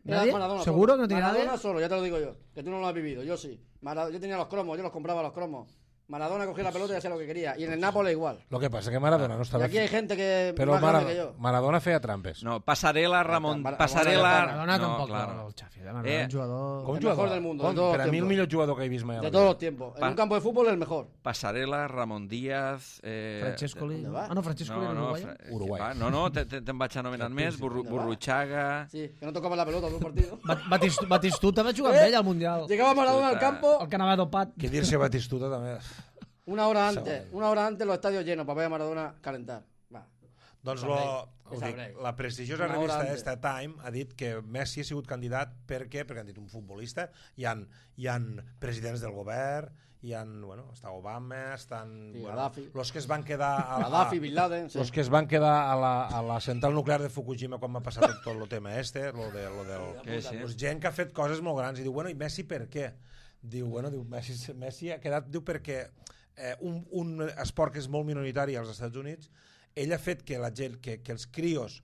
¿Nadie? Era Maradona ¿Seguro solo. que no tiene Maradona nadie? solo, ya te lo digo yo. Que tú no lo has vivido, yo sí. Yo tenía los cromos, yo los compraba los cromos. Maradona cogía la pelota y hacía lo que quería. Y en el Nápoles igual. Lo que passa que Maradona no Y estava... aquí hay gente que Però más grande que yo. Maradona feia trampes. No, passarel·la, Ramon, Maradona passarel·la... Maradona no, tampoc, claro. el Xavi, Maradona, un jugador... Com El jugador? mejor del mundo, Com? de todos Per a los mi el tiempos. millor jugador que he vist mai a la De vida. todos los tiempos. En Pa- un campo de fútbol el mejor. Passarel·la, Ramon Díaz... Francescoli. ¿Dónde va? Ah, no, Francescoli era uruguayo. Uruguai. No, te'n vaig anomenant més. ¿Dónde va? Burruchaga... Sí, que no tocaba la pelota todo el partido. Batistuta va jugar amb ell al Mundial. Llegaba Maradona al campo El que anava dopat. Que dir-se Batistuta també... una hora antes los estadios llenos para ver a Maradona calentar. Va. Doncs Ho dic, sabréis. la prestigiosa Una hora revista antes. esta Time ha dit que Messi ha sigut candidat perquè han dit un futbolista, hi han presidents del govern, està Obama, estan Sí, Gaddafi. los que es van quedar Gaddafi, Bin Laden. Sí. los que es van quedar a la central nuclear de Fukushima quan va passar tot el tema lo del... Sí. Pues gent que ha fet coses molt grans i diu, i Messi per què? Diu, Messi ha quedat, perquè un esport que és molt minoritari als Estats Units, ell ha fet que la gent, que els crios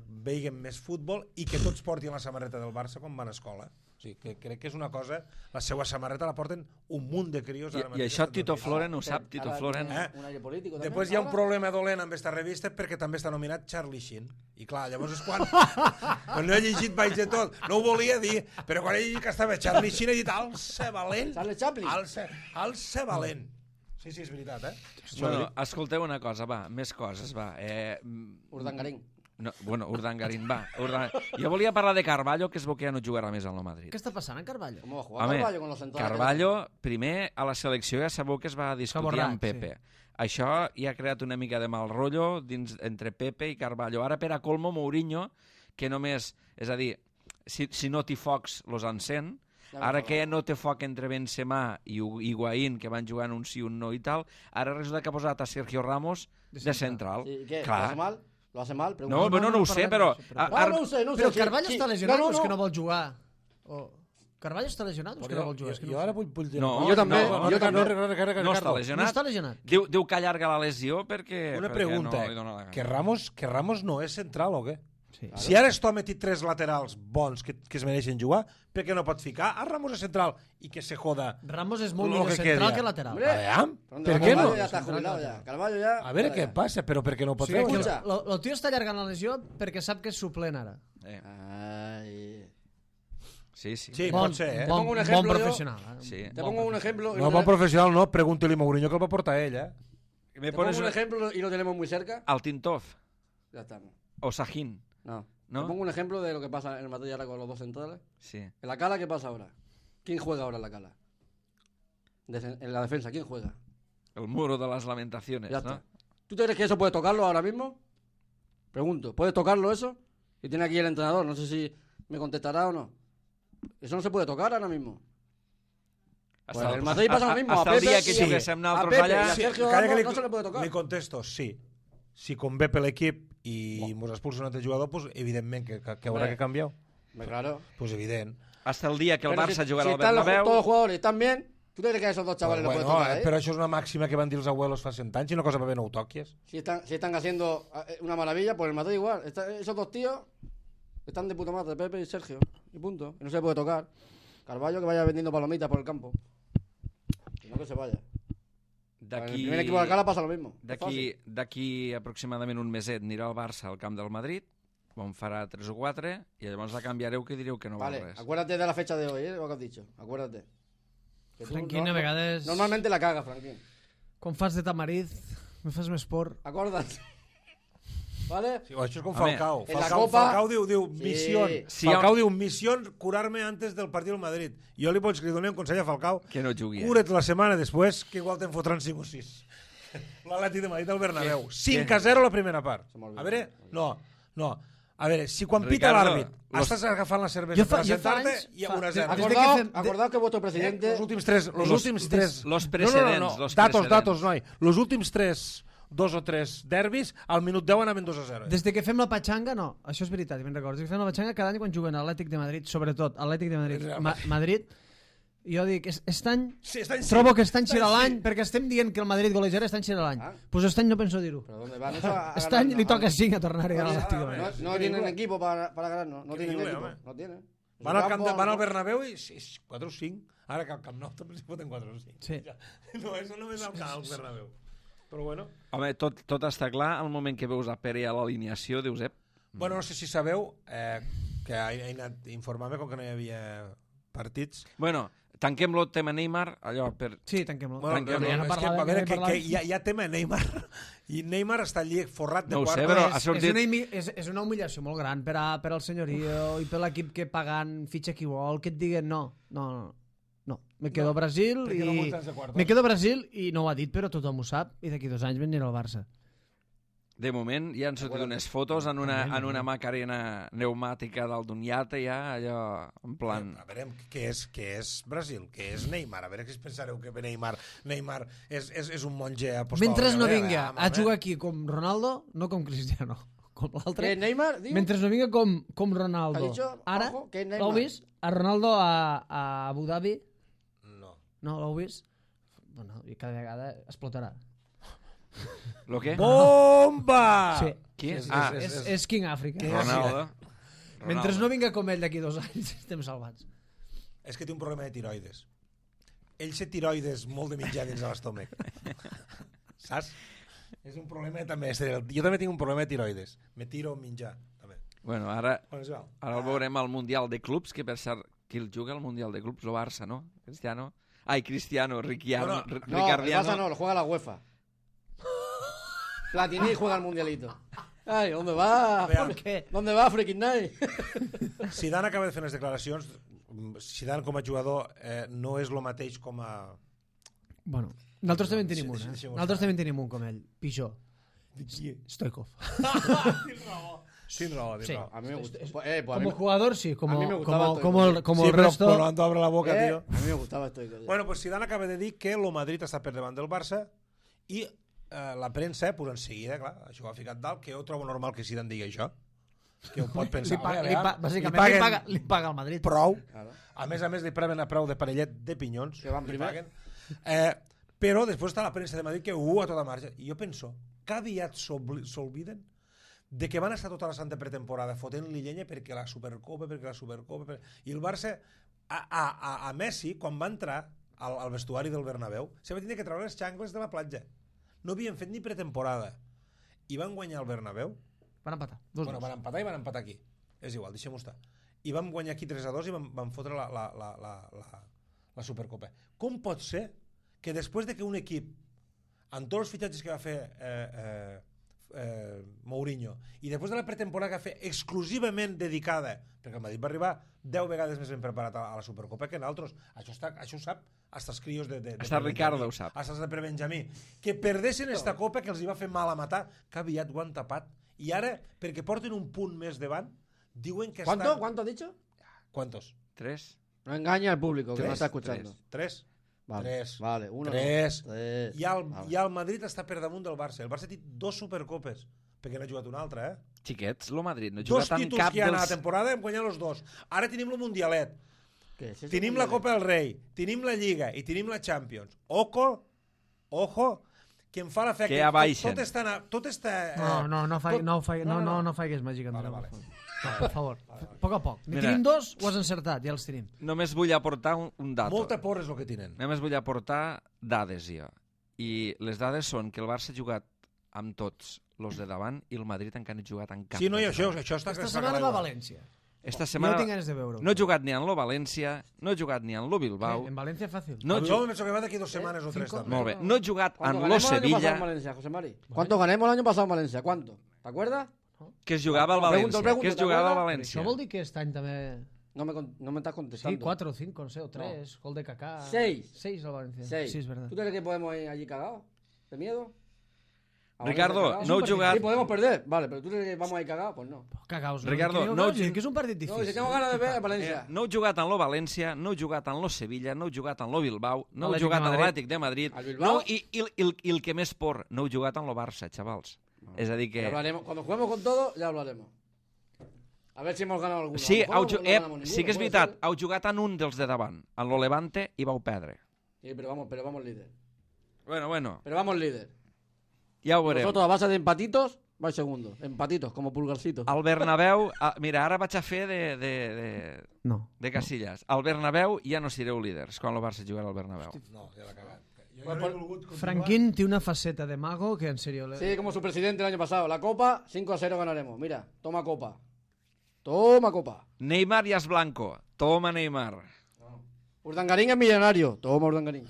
veiguen més futbol i que tots portin la samarreta del Barça quan van a escola. O sigui, que crec que és una cosa... La seva samarreta la porten un munt de crios. ara I mateix això als Tito Estats Units. Floren ho sap, Tito Ahora Floren. tiene un aire político también. Després hi ha un ahora. problema dolent amb aquesta revista perquè també està nominat Charlie Sheen. I clar, llavors és quan no he llegit vaig de tot. No ho volia dir, però quan he llegit que estava Charlie Sheen he dit alça valent. Charlie Chaplin. Alça valent. Sí, és veritat, Bueno, escolteu una cosa, va, més coses, va. Urdangarín. No, Urdangarín, va. Jo volia parlar de Carvalho, que es veu que ja no jugarà més al Madrid. Què està passant en Carvalho? ¿Cómo va a jugar Home, Carvalho con los centrales? Carvalho, primer, a la selecció ja sabeu que es va discutir borrat, amb Pepe. Això ja ha creat una mica de mal rotllo entre Pepe i Carvalho. Ara, per a colmo, Mourinho, que només... És a dir, si no t'hi focs, los encén. Ara que no té foc entre Benzema i Higuaín, que van jugant un sí, un no i tal, ara resulta que ha posat a Sergio Ramos de central. Sí, ¿qué? ¿Lo Clar. hace mal? ¿Lo hace mal? Pregunta. No, no ho sé, però... No ho sé. Però sí, Carvalho sí. està lesionat o és que no no. vol jugar? Carvalho està lesionat o és que no vol jugar? És que Jo ara vull dir... No, Jo també, jo també. No està No lesionat. està lesionat. Diu que allarga la lesió perquè... Una perquè pregunta, no li dona la gana. que Ramos no és central o què? Sí. Si ara Estom ha dit 3 laterals bons que es mereixen jugar, per què no pot ficar a Ramos a central i que se joda? Ramos és molt Lo millor que central queda. que lateral. Hombre. Aviam, ¿Dónde per va? què no? Carvalho ya está jubilado ya. Carvalho ya... A veure què passa, però per què no ho pot Sí, fer? que Escucha. el tio està allargant la lesió perquè sap que és suplent ara. Ay. Sí. Sí, pot ser, eh? Bon, pongo un bon ejemplo, professional. Sí. Te pongo un ejemplo... y No, lo bon te- professional no, pregúntali a Mourinho que el va portar ell, eh? Me Te pongo pones un ejemplo y lo tenemos muy cerca. al Tintov Ya estamos. o Sahin, No. ¿No? Te pongo un ejemplo de lo que pasa en el Madrid ahora con los dos centrales. sí. En la Cala, ¿qué pasa ahora? ¿Quién juega ahora en la Cala? En la defensa, ¿quién juega? El muro de las lamentaciones, Ya ¿no? está. ¿Tú te crees que eso puede tocarlo ahora mismo? Pregunto, ¿puede tocarlo eso? Y tiene aquí el entrenador, no sé si me contestará o no. Eso no se puede tocar ahora mismo. Pues el Madrid pasa lo mismo. Hasta a el Pepe, dia que sí, juguéssim a nosaltres Pepe allà... y a Sergio Calla Ramos que no se le puede tocar. li contesto, sí. Si convé per l'equip i mos expulsa un altre jugador, pues, evidentment que haurà que canviar. Hombre, claro. Pues evident. Hasta el dia que el Pero Barça si, jugarà si al están Bernabéu... todos los jugadores están bien, ¿tú te crees que a esos dos chavales Però, lo puedes tocar ahí? però això és una màxima que van dir els abuelos fa 100 anys i una cosa per bé no ho toques. Si están haciendo una maravilla, pues el Madrid igual. Esos dos tíos están de puta madre, Pepe y Sergio. Y punto. Y no se puede tocar. Carvalho que vaya vendiendo palomitas por el campo. Y no que se vaya. En el primer equipo de Alcalá pasa lo mismo. Es fácil. D'aquí aproximadament un meset anirà el Barça al camp del Madrid, on farà 3 o 4, i llavors la canviareu que direu que no val Vale, res. acuérdate de la fecha de hoy, lo que has dicho. Acuérdate. Que tú Franquín, a vegades... Normalmente la caga, Franquín. Quan fas de tamariz, Me fas més por. Acorda't. ¿Vale? Sí, això és com Home, Falcao. en la Falcao, Copa- Falcao diu Sí. missió. Sí, Falcao diu missió curar-me antes del partit del Madrid. Jo li pots donar un consell a Falcao. Que no jugui. Cura't la setmana després, que igual te'n fotran 5 o 6. L'Atlètic de Madrid al Bernabéu. 5-0 la primera part. Se m'olvida. A veure, no. A veure, si quan pita Ricardo, l'àrbit estàs agafant la cervesa Jo fa- per jo fa sentar-te anys- i a fa- 1-0. des de que fem- Acordado que vuestro presidente... Los últims tres. Los precedents, los precedents. Datos, noi. Los últims 2 o 3 derbis, al minut 10 anaven 2-0. Des de que fem la patxanga, no, això és veritat, ben recordo. Des que fem la patxanga cada any quan juguen a Atlètic de Madrid, sobretot Atlètic de Madrid, Madrid, jo dic, aquest any Sí, està en sí. trobo que està en Està en l'any, sí. perquè estem dient que el Madrid golejara està en l'any. Ah. Pues aquest any no penso dir-ho. ¿Pero dónde van? Eso a Aquest ganar, any li no, toca no, 5 a tornar a l'Atlètic de no, Madrid. No tienen equipo para ganar, no tienen Increíble, equipo. home. No tienen. Van al, Campo, van al Bernabéu i 4 o 5. Ara que al Camp Nou també s'hi foten 4 o 5. Sí. No, això només al Bernabéu. Però bueno. Home, tot està clar. Al moment que veus a Pere a l'alineació, dius, Bueno, no sé si sabeu que he anat informant-me com que no hi havia partits. Bueno, tanquem el tema Neymar, allò per... Sí, tanquem-lo. Bueno, Tranquil, no, no és que, parlàvem, a veure, no que parlàvem. hi ha tema Neymar i Neymar està allí forrat de No ho sé, quartos. però És, ha sortit- és una humiliació molt gran per al senyorio i per l'equip que pagant fitxa qui vol, que et diguen no, me quedo a Brasil perquè no i... muntes de quartos. Me quedo a Brasil i no ho ha dit, però tothom ho sap, i d'aquí 2 anys venirà al Barça. De moment ja han sortit unes fotos en una macarena pneumàtica dalt d'un iate, ja, allò, en plan... A veure, què és Brasil? Què és Neymar? A veure, què es pensareu que Neymar és un monge apostòlic? Mentre no A veure, vinga home, a jugar aquí com Ronaldo, no com Cristiano, com l'altre. ¿Que Neymar? Digo? Mentre no vinga com ¿Ha Ronaldo. dicho? Ara, Ojo, que Neymar. l'heu vist? A Ronaldo a Abu Dhabi? No. No, l'heu vist? Bueno, i cada vegada explotarà. Lo què? Bomba! Sí. Qui? Sí, sí, Ah, sí, sí. És King Africa. Què? Ronaldo. Mentre no vinga com ell d'aquí 2 anys, estem salvats. És que té un problema de tiroides. Ell té tiroides molt de mitjà dins de l'estómac. Saps? És un problema també. Jo també tinc un problema de tiroides. Me tiro menjar, també. Bueno, ara On es va? el veurem al Mundial de Clubs, que per cert, qui el juga al Mundial de Clubs? El Barça, no? Cristiano? Ai, Cristiano, Ricardiano. Bueno, No, el Barça no, lo juega la UEFA. Platini juega el Mundialito. Ay, ¿dónde va? Vean. Per què? ¿Dónde va Freaking Night? Zidane acaba de fer unes declaracions. Zidane com a jugador no és el mateix com a... Bueno, nosaltres també en tenim un, Deixeu-ho Nosaltres estar. també en tenim un com ell. Pijó. Stoikov. Tens raó, tens Sí. raó. A mí me gusta. Pues a mí Como jugador, sí. Como, a mí me gustaba como, Stoikov. como Sí, el però resto... cuando abre la boca, tío. A mí me gustaba esto. Bueno, pues Zidane acaba de dir que el Madrid està per davant del Barça i la premsa, pues en seguida, clar, això ho ha ficat dalt, que jo trobo normal que Zidane digui això. Que ho pot pensar. Bàsicament li paga el Madrid. Prou. Claro. A més, li preben a preu de parellet de pinyons. Que van li primer. paguen. Però després està la premsa de Madrid que a tota marxa. I jo penso que aviat s'olviden de que van estar tota la santa pretemporada fotent-li llenya perquè la Supercopa, I el Barça, a Messi, quan va entrar al vestuari del Bernabéu, se va tindre que treure les xancles de la platja. No havien fet ni pretemporada. I van guanyar el Bernabéu. Van empatar. Bueno, van empatar i van empatar aquí. És igual, deixem-ho estar. I vam guanyar aquí 3-2 i van fotre la Supercopa. Com pot ser que després de que un equip, amb tots els fitxatges que va fer Mourinho, i després de la pretemporada que va fer exclusivament dedicada, perquè el Madrid va arribar 10 vegades més ben preparat a la Supercopa que en altres, això ho sap hasta els crios de Hasta Ricardo ho sap. hasta els de Prebenjamí, que perdessin esta copa que els hi va fer mal a matar, que aviat ho han tapat, i ara, perquè porten un punt més davant, diuen que estan... ¿Cuánto has dicho? ¿Cuántos? 3. No engaña al público que Tres, no está escuchando. 3. Vale, Tres. vale, uno. Tres. No. Tres. I el Madrid està per damunt del Barça. El Barça té 2 supercopes, perquè n'ha jugat una altra, Xiquets, lo Madrid no 2 juga tant títols cap que hi ha a la dels... temporada hem guanyat els 2. Ara tenim el Mundialet, ¿Qué es eso? tenim la Copa del Rei, tenim la Lliga i tenim la Champions. Ojo, que em fa l'efecte... Que ja baixen. Tot està... No faigues màgica, Andreu. Vale. No, per favor, a poc. Ne Mira. tenim 2, ho has encertat, ja els tenim. Només vull aportar un dato. Molta por és el que tenen. Només vull aportar dades, jo. I les dades són que el Barça ha jugat amb tots els de davant i el Madrid encara no ha jugat amb cap. Sí, no, i dels això de davant. està... Aquesta setmana va a València. esta Jo setmana tinc ganes de veure-ho. no he jugat ni en lo València, no he jugat ni en lo Bilbao, En València fàcil. no he Yo jugat... me pienso que va de aquí 2 semanas o 3 también. Molt bé, no he jugat ¿Cuánto en lo ganemos el año pasado en Sevilla, Valencia, José Mari? ¿Cuánto ganemos el año pasado en Valencia? ¿Cuánto? ¿Te acuerdas? que es jugava al Pregunto, València, que es ¿te jugava al acuerdas? València. Això vol dir que aquest any també... No me estás Sí, contestando. 4 o 5, no sé, o 3, gol de Kaká. 6. 6 al València. 6. Sí, és verdad. ¿Tú crees que podemos ir allí cagados? ¿De miedo? ¿A Ricardo, Valencia no he cagados? jugat... Sí, podemos perder. Vale, pero ¿tú crees que vamos a ir cagados? Pues no. Cagaos. Ricardo, no, no- que és un partit No, difícil. si tengo ganas de ver a Valencia. No he jugat en lo València, no he jugat en lo Sevilla, no he jugat en lo Bilbao, no he Atlètic jugat de en Madrid. l'Atlètic de Madrid, Al Bilbao? no, i el que més por, no he jugat en lo Barça, xavals. És a dir Ya que... hablaremos. Cuando juguemos con todo, ya hablaremos. A ver si hemos ganado alguno. Sí, A lo mejor no ganamos sí que és ninguno, veritat, puede ser. heu jugat en un dels de davant, en lo Levante, i vau perdre. Sí, pero vamos líder. Bueno, Pero vamos líder. ja ho veurem. Nosotros a base de empatitos, vais segundo. Empatitos, como pulgarcito. Al Bernabéu, mira, ara vaig a fer No. de Casillas. Al Bernabéu ja no sereu líders quan el Barça jugarà al Bernabéu. No, ya la he cagat. Jo Pues no por- he volgut continuar. Franquín té una faceta de mago que en serio... Sí, como su presidente el año pasado. La Copa, 5-0 ganaremos. Mira, toma Copa. Toma Copa. Neymar ja és blanco. Toma, Neymar. Urdangarín es millonario. Toma Urdangarín.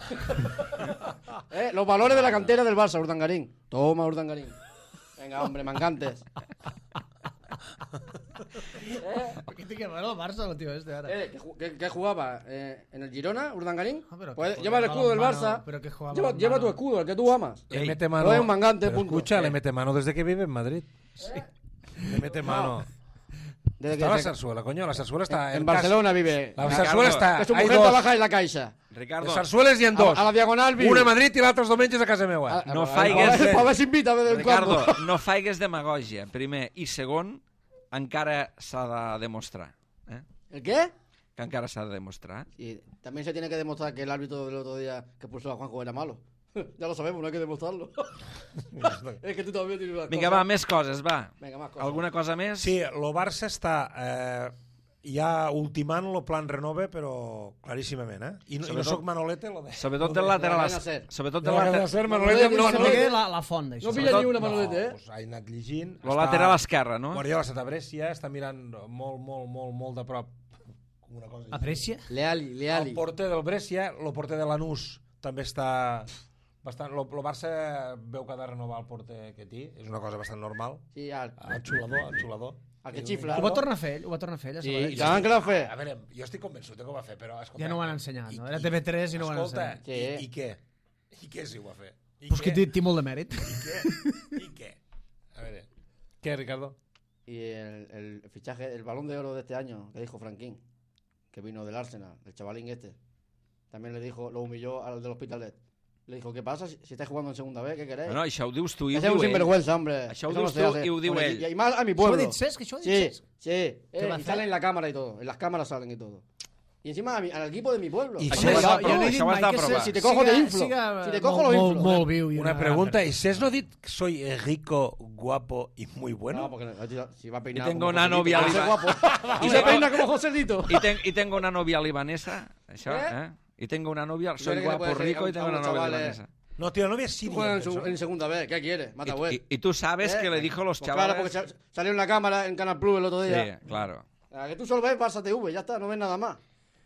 Los valores de la cantera del Barça, Urdangarín. Toma Urdangarín. Venga, hombre, mancantes. ¿Qué te quema el Barça, el tío este ahora? ¿Qué jugaba? ¿En el Girona, Urdangarín? Ah, pero Pues que lleva el jugaba escudo del mano, Barça. pero que jugaba Lleva tu mano. escudo, el que tú amas. Le Ey, mete mano. no es un mangante, Pero punto. escucha, le mete mano desde que vive en Madrid. Le mete mano. Desde Está que la se- Zarzuela, coño. La Zarzuela está en casa. Barcelona vive. La Ricardo, Zarzuela està... Que su hay mujer dos. trabaja en la Caixa. Ricardo, Les Zarzueles hi ha dos. A la diagonal vive. Una a Madrid i l'altra els diumenges a casa meva. No faigues- A ver si invita de vez en Ricardo, cuando. no faigues demagògia, primer. I segon, encara s'ha de demostrar. ¿El qué? Que encara s'ha de demostrar. Y también se tiene que demostrar que el árbitro del otro día que puso a Juanjo era malo. Ya lo sabemos, no hay que demostrarlo. Es que tú también tienes una Vinga, cosa. va, més coses, va. Venga, más cosas. Alguna cosa més? Sí, el Barça està ja ultimant el plan renove, però claríssimament, I no Sobretot- soc Manolete, lo de... Sobretot del lateral... cadena ser. Sobretot De del la cadena lateral... ser, Manolete Manolete... no, No, no, no, la font, d'això. No pilla ni una No, Manolete, ¿eh? pues ha anat llegint. Lo lateral esquerre, no? Guardiola s'ha Brescia, està mirant molt de prop una cosa així. Aprecia? Leali. El porter del Brescia, el porter de Lanús també està bastant... El Barça veu que ha de renovar el porter que té, és una cosa bastant normal. Sí, al Xulador. Al que xifla. Ho va tornar a fer ell, ho va tornar a fer ell. a Sí, Sabadell. i saben que l'ha fet. A veure, jo estic convençut que ho va fer, però... Escolta, Ja no ho van ensenyar, no? Era TV3 i no ho van escolta, ensenyar. i què? I què si ho va fer? I Pues que què? té molt de mèrit. ¿Y qué? A ver, ¿qué, Ricardo? Y el fichaje, el balón de oro de este año, que dijo Franquín, que vino del Arsenal, el chavalín este, también le dijo, lo humilló al del Hospitalet. Le dijo, ¿qué pasa si estáis jugando en segunda vez? ¿Qué queréis? No, això ho dius tu i ho Ese es un diu ell. sinvergüenza, hombre. Això ho Eso no dius se tu hace. i ho diu Hombre, ell. Y más a mi Això ho ha pueblo. dit Cesc, això ho ha dit Sí, Cesc. sí. ¿Qué va a Y hacer? sale en la cámara y todo. En las cámaras salen y todo. Y encima al equipo de mi pueblo. Y Això Home, ho has de jo no provar, he dit això ho has mai de que provar. Si te cojo, te inflo. Si te cojo, lo inflo. Molt viu. i Una pregunta, ¿y Cés no dit que soy rico, guapo y muy bueno? No, porque si va a peinar Y tengo como una Joselito, novia va a ser liba- guapo. Y se peina como Joselito. I tengo una novia libanesa, això, ¿Eh? I tengo una novia, soy crees que le guapo, puede decir rico a y tengo unos una novia chavales? libanesa. No, tío, la novia es Tú siria. juegas penso. en segunda vez. ¿Qué quieres? Mata web. Y tú sabes que le dijo a los Pues claro, chavales... porque salió en la cámara en Canal Plus el otro día. Sí, claro. A que tú solo ves Barça TV, ya está, no ves nada más.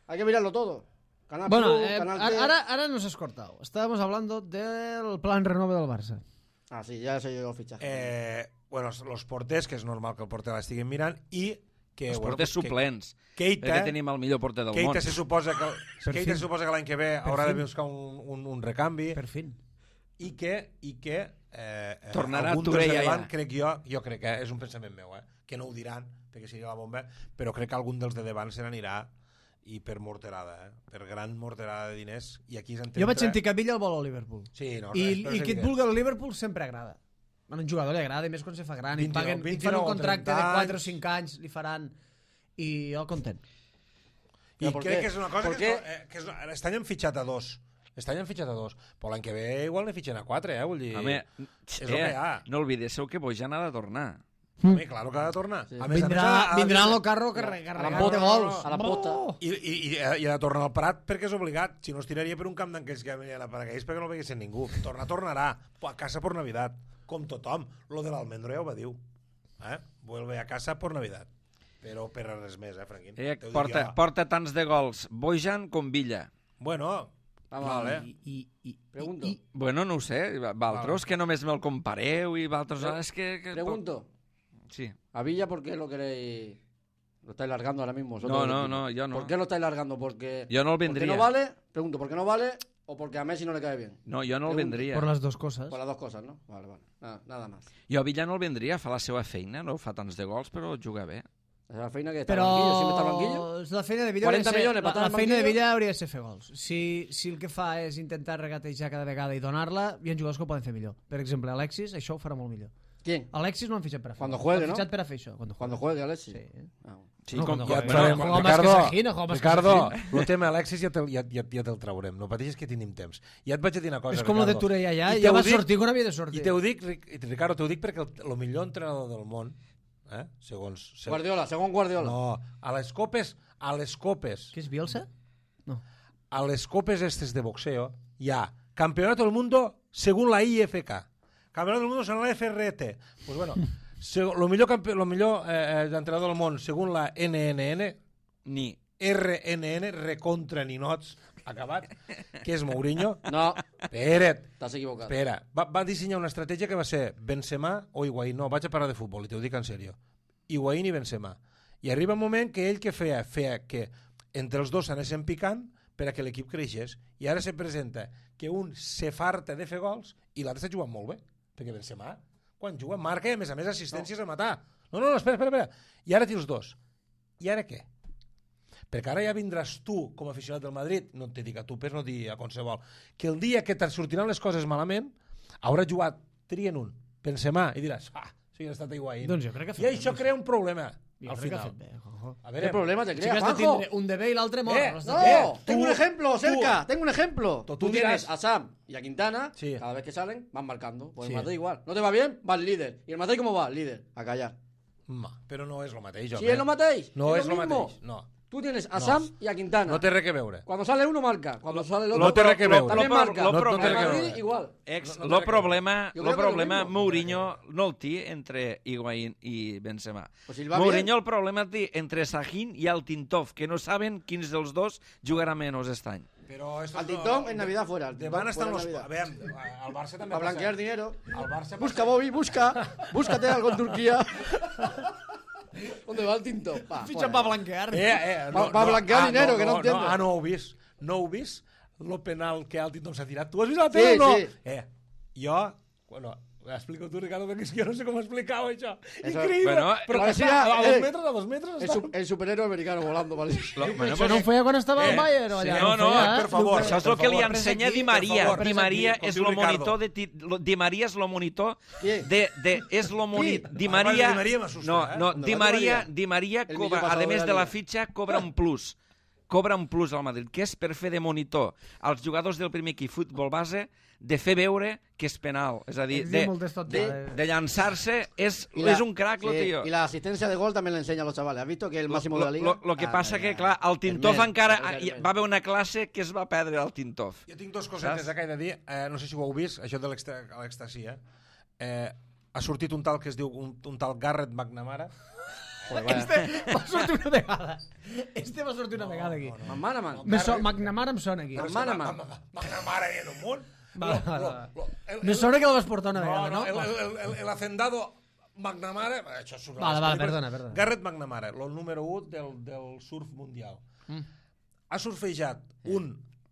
Hay que mirarlo todo. Canal Bueno, Plus, Canal T. ahora nos has cortado. Estábamos hablando del plan renove del Barça. Ah, sí, ya se llegó el fichaje. Bueno, los porters, que és normal que el porter l'estiguin mirant, i que... Els bueno, porters pues, suplents. Keita, Perquè tenim el millor porter del món. Keita se suposa que l'any que ve haurà de buscar un recanvi Per fin. i que Tornarà algun Touré dels de ja, davant, ja. crec jo crec que és un pensament meu, que no ho diran perquè seria la bomba, però crec que algun dels de davant se n'anirà i per morterada, per gran morterada de diners, i aquí és on Jo vaig entra- sentir que Villa el vol al Liverpool. Sí, no, I però és que et evident. vulgui al Liverpool sempre agrada. A un jugador li agrada, i més quan se fa gran. I 29, paguen, i fan 29 un o contracte de 30 4 o anys. 5 anys, li faran... I jo content. I Però per crec què? que és una cosa Per que, què? que és, aquest any han fitxat a dos. Aquest any han fitxat a dos. Però l'any que ve igual ne fitxen a 4, Vull dir... Home, és el que hi ha. no oblidéssiu que Bojan ha de tornar. Home, claro que ha de tornar. Sí. A més, Vindrà en el carro a carregat la de pota, gols. a la pota. I ha de tornar al Prat perquè és obligat. Si no, es tiraria per un camp d'aquells que venien a Paraguais perquè no veguessin ningú. Tornarà. A casa por Navidad. Com tothom. Lo de l'Almendro ja ho va dir. Vuelve a casa por Navidad. però per a res més, Franquín. Ella T'ho dic jo. porta tants de gols Bojan com Villa. Bueno, vale. Pregunto. Bueno, no ho sé, Valtros, que només me'l compareu i Valtros... és que... Pregunto. Sí. A Villa, ¿por qué lo queréis? Lo estáis largando ahora mismo. No, yo no. ¿Por qué lo estáis largando? Porque Yo no lo ¿Por qué vendría. no vale? Pregunto, ¿por qué no vale? ¿O porque a Messi no le cae bien? No, jo no el Pregunto. vendria. Por las dos cosas. Por las dos cosas, ¿no? Vale. Nada más. Jo a Villa no el vendria, fa la seva feina, no fa tants de gols, però juga bé. Es la feina que está Però al banquillo, siempre está al banquillo. la feina de Villa 40 hauria de ser, milions per estar la al feina de banquillo. Villa hauria de ser fer gols. Si el que fa és intentar regatejar cada vegada i donar-la, hi ha jugadors que ho poden fer millor. Per exemple, Alexis això ho farà molt millor. ¿Quién? Alexis no han fitxat per a fer Cuando gols. juegue, L'han ¿no? fitxat per a fer això. Cuando juegue Alexis. Sí. Ah, bueno. Sí, No, com, no, Ja no, et farem, no, juega más que Sajin, juega más que Ricardo, Sajin. el tema Alexis ja te'l traurem. No pateixis que tenim temps. Ja et vaig a dir una cosa, És com lo de Ricardo. Touré allà, I ja te va ho dic- sortir quan havia de sortir. I te ho dic, Ricardo, t'ho dic perquè el millor entrenador del món, segons... Guardiola, según Guardiola. No, a les copes, Què és Bielsa? No. a les copes estes de boxeo hi ha Campeonato del Mundo según la IFK, Campeonato del Mundo según la FRT. Pues bueno, lo millor entrenador del món según la NNN, ni... RNN, recontra ninots, acabat, que és Mourinho. No, Espera't, estás equivocado. espera. Va dissenyar una estratègia que va ser Benzema o Higuaín. No, vaig a parlar de futbol, i t'ho dic en sèrio. Higuaín i Benzema. I arriba un moment que ell que feia que entre els dos s'anessin picant per a que l'equip creixés. I ara se presenta que un se farta de fer gols i l'altre està jugant molt bé. Perquè Benzema, quan juga, marca i a més assistències a matar. No, espera. I ara té els dos. I ara què? Perquè ara ja vindràs tu com a aficionat del Madrid, no te dic a tu, però no dir a qualsevol, que el dia que te'n sortiran les coses malament haurà jugat, trien un, Benzema, i diràs, si ha estat Higuaín. Doncs jo crec que ha I fet això bé. crea un problema Jo al crec que ha final. fet bé, Juanjo. A ¿Qué veure, problema te Sí crea, que has de Juanjo? tindre un de bé i l'altre mort. Eh, No has de No, tindre- tengo un ejemplo, tú- cerca, tengo un ejemplo. Tú Tú dirás- tienes a Sam y a Quintana, Sí. cada vez que salen, van marcando. Pues Sí. el Madrid igual. ¿No te va bien? Va el líder. ¿Y el Madrid cómo va? Líder. A callar. però no és el mateix, Si es lo matéis, No és lo el mismo. mateix, no. Tú tienes a No. Sam y a Quintana. No té res que veure. Cuando sale uno marca, cuando sale el otro No té res que veure. también marca. Lo El problema- Madrid igual. Lo problema, Yo creo lo que problema lo mismo. Mourinho no el té entre Higuaín i Benzema. Pues si el va Mourinho bien. el problema el té entre Sahin i Altintov, que no saben quins dels dos jugarà menys aquest any. Però esto Al no- Tintón en Navidad fuera. al De Tintón van estan fuera los... en A Navidad. veure, al Barça també Para blanquear dinero. Al Barça Busca, Bobby, busca. Búscate algo en Turquía. ¿Dónde va el Tintón? Va, Fitxa fuera. pa blanquear. Va blanquear dinero, que no entiendo. No ho he vist. No ho he vist, lo penal que Altintón s'ha tirat. Tu has vist la Sí, tele o no? sí. Jo... Bueno, explico tu, Ricardo, perquè és que jo no sé com explicar-ho, això. Eso- Increïble. Bueno, però que parecía, està a 2 eh, metres, a 2 metres està... El superhéroe americano volando, ¿vale? Bueno, Això no ho feia quan estava al Bayern o sí, allà? no, ho feia, per favor. Això és Per el que li favor, ensenya aquí, Di per Maria. favor, Di Maria aquí, com és diu lo Ricardo. monitor Di Maria és lo monitor Qui? és lo monitor. Di Di Maria Maria m'assusta, no, eh? no, ¿Dónde Di va Di Maria, Maria? Di Maria El cobra, millor a passador més de de la la Liga. fitxa, cobra un plus. Cobra un plus al Madrid, que és per fer de monitor als jugadors del primer equip futbol base de fer veure que és penal. És a dir, Ens diu moltes tonteries. de llançar-se és Y un crack, lo sí, tío. Y la asistencia de gol también le enseña a los chavales. ¿Has visto que es el máximo de la liga? Lo que passa ya. que, clar, el Tintov Hermel, encara Hermel. va haver una classe que es va perdre el Tintov. Jo tinc dos cosetes que he de dir. No sé si ho heu vist, això de l'èxtasi. Ha sortit un tal que es diu un tal Garrett McNamara. Joder, vaya. Va sortir una vegada. Este va sortir una vegada aquí. McManaman. McNamara em sona aquí. McManaman. McNamara en un munt. Vale, vale. Me sona que el vas portar una vegada, no? El hacendado McNamara... Això és Vale, perdona. Garrett McNamara, el número 1 del surf mundial. Ha surfejat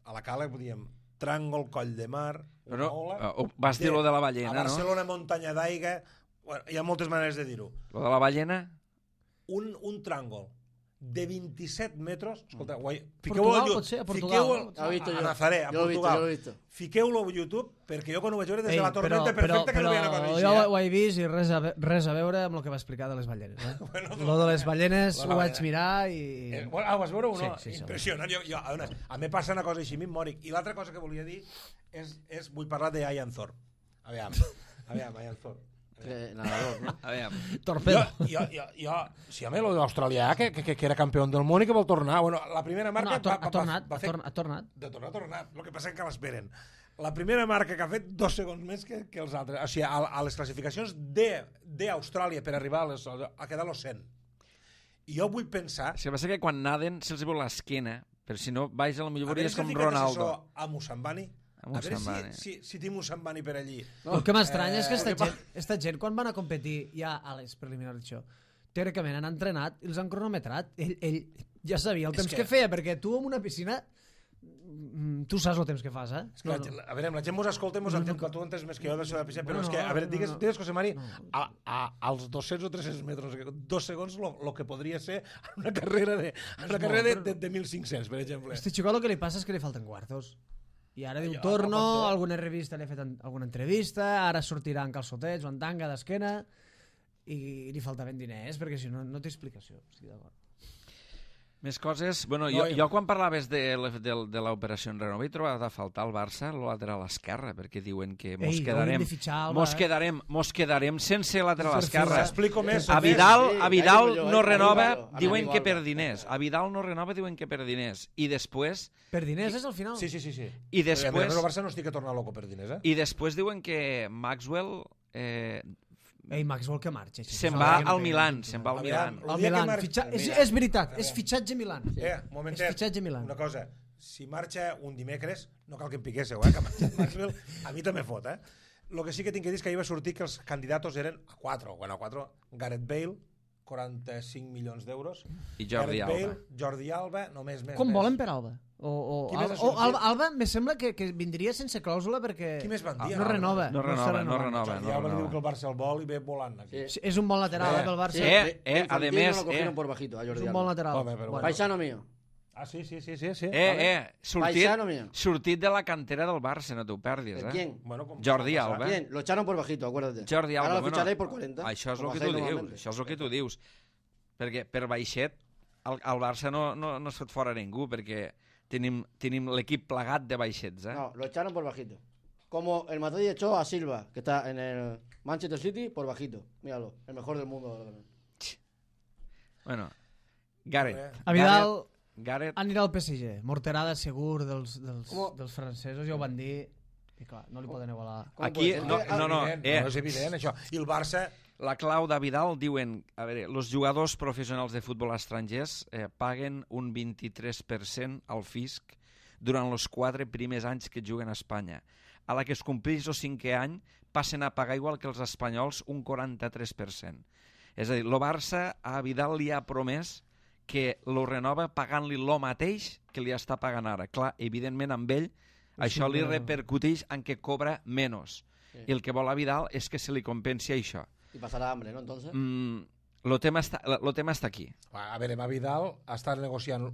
a la cala, diem, tràngol, coll de mar, una ola... Vas dir lo de la ballena, a no? Barcelona, muntanya d'aigua... Bueno, hi ha moltes maneres de dir-ho. Lo de la ballena? Un tràngol de 27 metres... Escolta, Portugal, potser? A Portugal? Lo he visto yo. A Nazaré, a Yo lo he visto, Portugal. yo lo he visto. Fiqueu-lo a YouTube, perquè jo quan ho vaig veure des de la Ei, tormenta perfecta que no veia una cosa així. jo ho he vist i res a veure amb el que va explicar de les ballenes. Lo de les ballenes ho vaig mirar i... Bueno, ho vas veure o no? Sí, sí, Impressionant. A mi passa una cosa així, a mi em mòric. I l'altra cosa que volia dir és vull parlar de Ian Thorpe. Aviam, Ian Thorpe. Nadador, ¿no? A veure, Torpedo. Sí, a mi l'australià, que era campió del món i que vol tornar. Bueno, la primera No, marca... ha tornat. De tornar, ha tornat. El que passa és que l'esperen. La primera marca que ha fet 2 segons més que els altres. O sigui, a les classificacions d'Austràlia per arribar a quedar los 100. I jo vull pensar... És que passa que quan naden se'ls veu l'esquena, però si no, baix a la millor és com ficat Ronaldo. això a Musambani. A veure si té Musambani per allí. El que m'estranya és que esta gent, quan van a competir ja a les preliminars d'això, teòricament han entrenat i els han cronometrat. Ell ja sabia el temps que feia, perquè tu en una piscina tu saps el temps que fas, És que a veure, la gent mos escolta i mos entén, tu entens més que jo de la piscina, però és que, a veure, digues, José Mari, als 200 o 300 metres, 2 segons, el que podria ser una carrera de 1.500, per exemple. Este xicot el que li passa és que li falten quartos. I ara diu torno, alguna revista li ha fet alguna entrevista, ara sortirà en calçotets o en tanga d'esquena i li faltaven diners, perquè si no, no té explicació. Estic d'acord. Més coses... Bueno, jo quan parlaves de l'operació en Renova he trobat a faltar al Barça el lateral esquerre, perquè diuen que mos quedarem sense lateral esquerre. Explico més. A Vidal no renova, diuen que per diners. A Vidal no renova, diuen que per diners. I després... Per diners és al final? Sí. I després... El Barça no estic a tornar loco per diners, I després diuen que Maxwell... Maxwell que marxa. Se'n va al Milan. El Milan. És veritat, és fitxatge Milan. Momentet, és fitxatge Milan. Una cosa, si marxa un dimecres, no cal que em piquéssiu, que marxa Maxwell, a mi també fot, El que sí que tinc que dir és que ahir va sortir que els candidats eren a 4, Gareth Bale, 45 milions d'euros, i Jordi Alba, només més. Com volen per Alba? Alba me sembla que vindria sense clàusula perquè qui més van dir? No renova. Jordi Alba diu que el Barça el vol i ve volant aquí. És un bon lateral pel Barça. Ademés, és un bon lateral. Paisano mío. Sí. Sortit de la cantera del Barça, no t'ho perdis, ¿Quién? Jordi Alba. ¿Quién? Lo echaron por bajito, acuérdate. Jordi Alba. Ahora lo ficharéis por 40. Això és el que tu dius. Perquè per baixet al Barça no es fot fora ningú, perquè tenim l'equip plegat de baixets. No, lo echaron por bajito. Como el Madrid echó a Silva, que está en el Manchester City, por bajito. Míralo, el mejor del mundo. Bueno, Gareth. A Vidal anirà al PSG. Morterada segur dels francesos, ja ho van dir. I clar, no li poden igualar. Aquí, no, és evident això. I el Barça... La clau de Vidal diuen, a veure, els jugadors professionals de futbol estrangers paguen un 23% al fisc durant els 4 primers anys que juguen a Espanya. A la que es compleix el 5è any passen a pagar igual que els espanyols un 43%. És a dir, el Barça a Vidal li ha promès que lo renova pagant-li el mateix que li està pagant ara. Clar, evidentment amb ell això li repercuteix en que cobra menys. I el que vol a Vidal és que se li compensi això. I passarà hambre, ¿no? Entonces... Lo tema està aquí. A veure, a Vidal està negociant,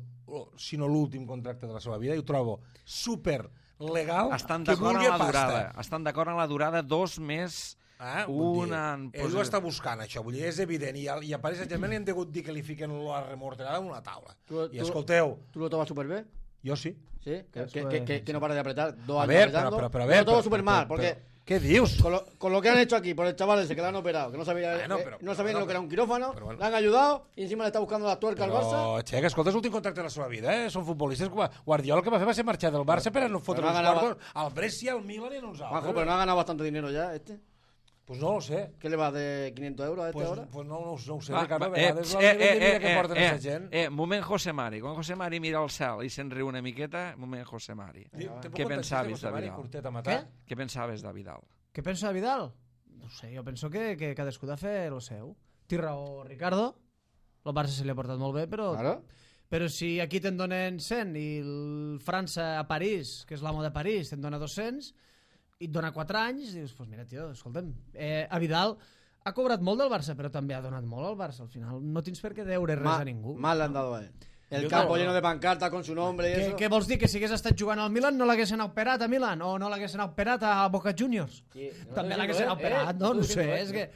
si no l'últim contracte de la seva vida, i ho trobo super legal. Estan d'acord amb la durada. Estan d'acord amb la durada 2 més... Ell ho està buscant, això. Vull dir, és evident. I a Paris Saint-Germain li han degut dir que li fiquen la remorterada en una taula. I escolteu... ¿Tú lo tomas súper bien? Yo sí. ¿Sí? Que no para de apretar 2 años apretando. Pero a ver, lo tomo súper mal, porque... ¿Qué dius? Con lo que han hecho aquí por el chaval ese que le han operado, que no sabía, no sabía lo que era un quirófano, bueno. Le han ayudado y encima le está buscando la tuerca al Barça. Che, que escolta, és l'últim contracte de la seva vida, Són futbolistes. Guardiola el que va fer va ser marxar del Barça per a no fotre els quartos al Brescia, al Milan i a uns altres. Juanjo, pero no ha ganado bastante dinero ya, Pues no lo sé. ¿Qué le va de 500 euros a este ahora? Pues no ho sé, Ricardo. A vegades el nivell de vida que porten aquesta gent. Moment José Mari. Quan José Mari mira al cel i se'n riu una miqueta, moment José Mari. Què pensaves de Vidal? Què pensaves de Vidal? Què penso de Vidal? No sé, jo penso que cadascú ha de fer el seu. Té raó Ricardo, el Barça se li ha portat molt bé, però... Claro. Però si aquí te'n donen 100 i el França a París, que és l'amo de París, te'n dona 200 i et dona 4 anys, dius, pues mira, tio, escolta'm, a Vidal ha cobrat molt del Barça, però també ha donat molt al Barça. Al final no tens per què deure res a ningú. Mal le han dado a él. El campo lleno de pancartas con su nombre y eso. Què vols dir? Que si hagués estat jugant al Milan no l'haguessin operat a Milan? O no l'haguessin operat a Boca Juniors? També l'haguessin operat, no? No sé, és que...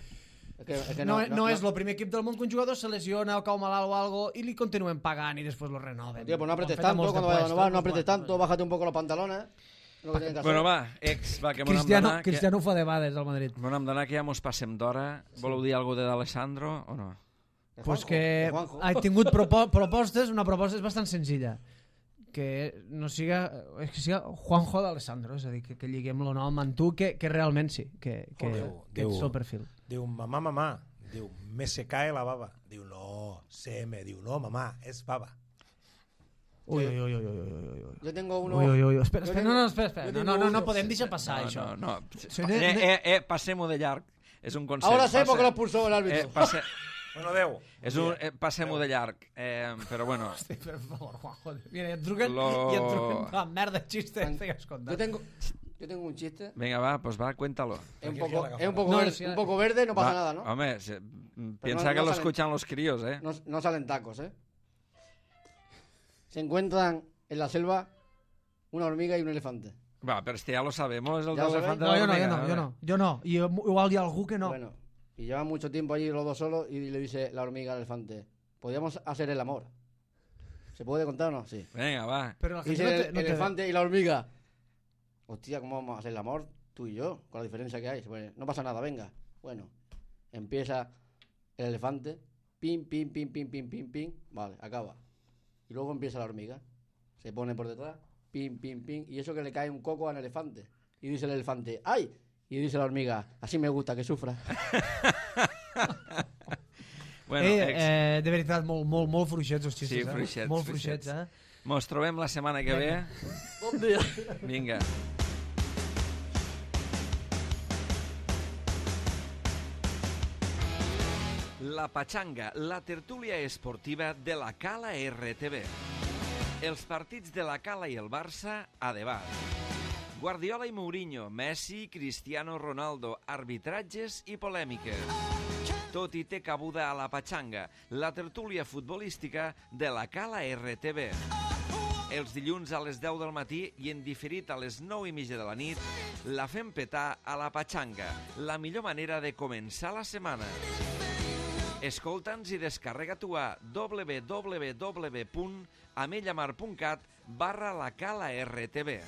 No és el primer equip del món que un jugador se lesiona o cau malalt o algo y li continuen pagant i després lo renoven. Tío, pues no apretes tanto cuando vayas a renovar, no apretes tanto, bájate un poco los pantalones. Bueno, va, que Cristiano ho fa de bades al Madrid. M'hem d'anar, que ja mos passem d'hora. Voleu dir alguna cosa d'Alessandro o no? Pues que ha tingut propostes, una proposta és bastant senzilla. Que no siga... És que siga Juanjo d'Alessandro, és a dir, que lliguem el nom amb tu, que realment sí, que ets el perfil. Diu, mamà, diu, me se cae la baba. Diu no, CM, diu no, mamà, és baba. Uy. Yo tengo uno... Uy. Espera, Yo espera, tengo- espera. yo tengo No uno. podem deixar passar, això. No. Sí, Passem-ho de llarg. És un consell. Ahora sé por qué lo expulsó el árbitro. Bueno, adeu. Passem-ho de llarg. Però bueno... Hosti, per favor, Juanjo. Mira, i et truquen la merda de xiste que estigues contant. Yo tengo un chiste. Venga, va, pues va, cuéntalo. Es un Aquí poco, la es un poco, No, verde, sí, un poco verde, no pasa nada, ¿no? Home, piensa que no lo salen- escuchan los críos, ¿eh? No salen tacos, ¿eh? Se encuentran en la selva una hormiga y un elefante. Va, pero ya lo sabemos, el ¿Ya dos lo elefante No, de la jo hormiga. no. I igual hi ha algú que no. Bueno, y llevan mucho tiempo allí los dos solos y le dice la hormiga al elefante, ¿podríamos hacer el amor? ¿Se puede contar o no? Sí. Venga, va. Però la Y gent dice no el té... elefante y la hormiga, hostia, ¿cómo vamos a hacer el amor? Tú y yo, con la diferencia que hay. Bueno, no pasa nada, venga. Bueno, empieza el elefante, pim, pim, pim, pim, pim, pim, pim, vale, acaba. Y luego empieza la hormiga, se pone por detrás, pim, pim, pim, y eso que le cae un coco al elefante. Y dice el elefante, ¡ay! Y dice la hormiga, así me gusta que sufra. Bueno, de veritat, molt fluixets els xistes, Sí, fluixets, Molt fluixets. fluixets, mos trobem la setmana que ve. Bon dia. Vinga. La Pachanga, la tertúlia esportiva de la Cala RTV. Els partits de la Cala i el Barça a debat. Guardiola i Mourinho, Messi, Cristiano Ronaldo, arbitratges i polèmiques. Tot hi té cabuda a la Pachanga, la tertúlia futbolística de la Cala RTV. Els dilluns a les 10 del matí i en diferit a les 9:30 de la nit, la fem petar a la Pachanga, la millor manera de començar la setmana. Escolta'ns i descarrega-t'ho a www.amellamar.cat/la Cala RTV.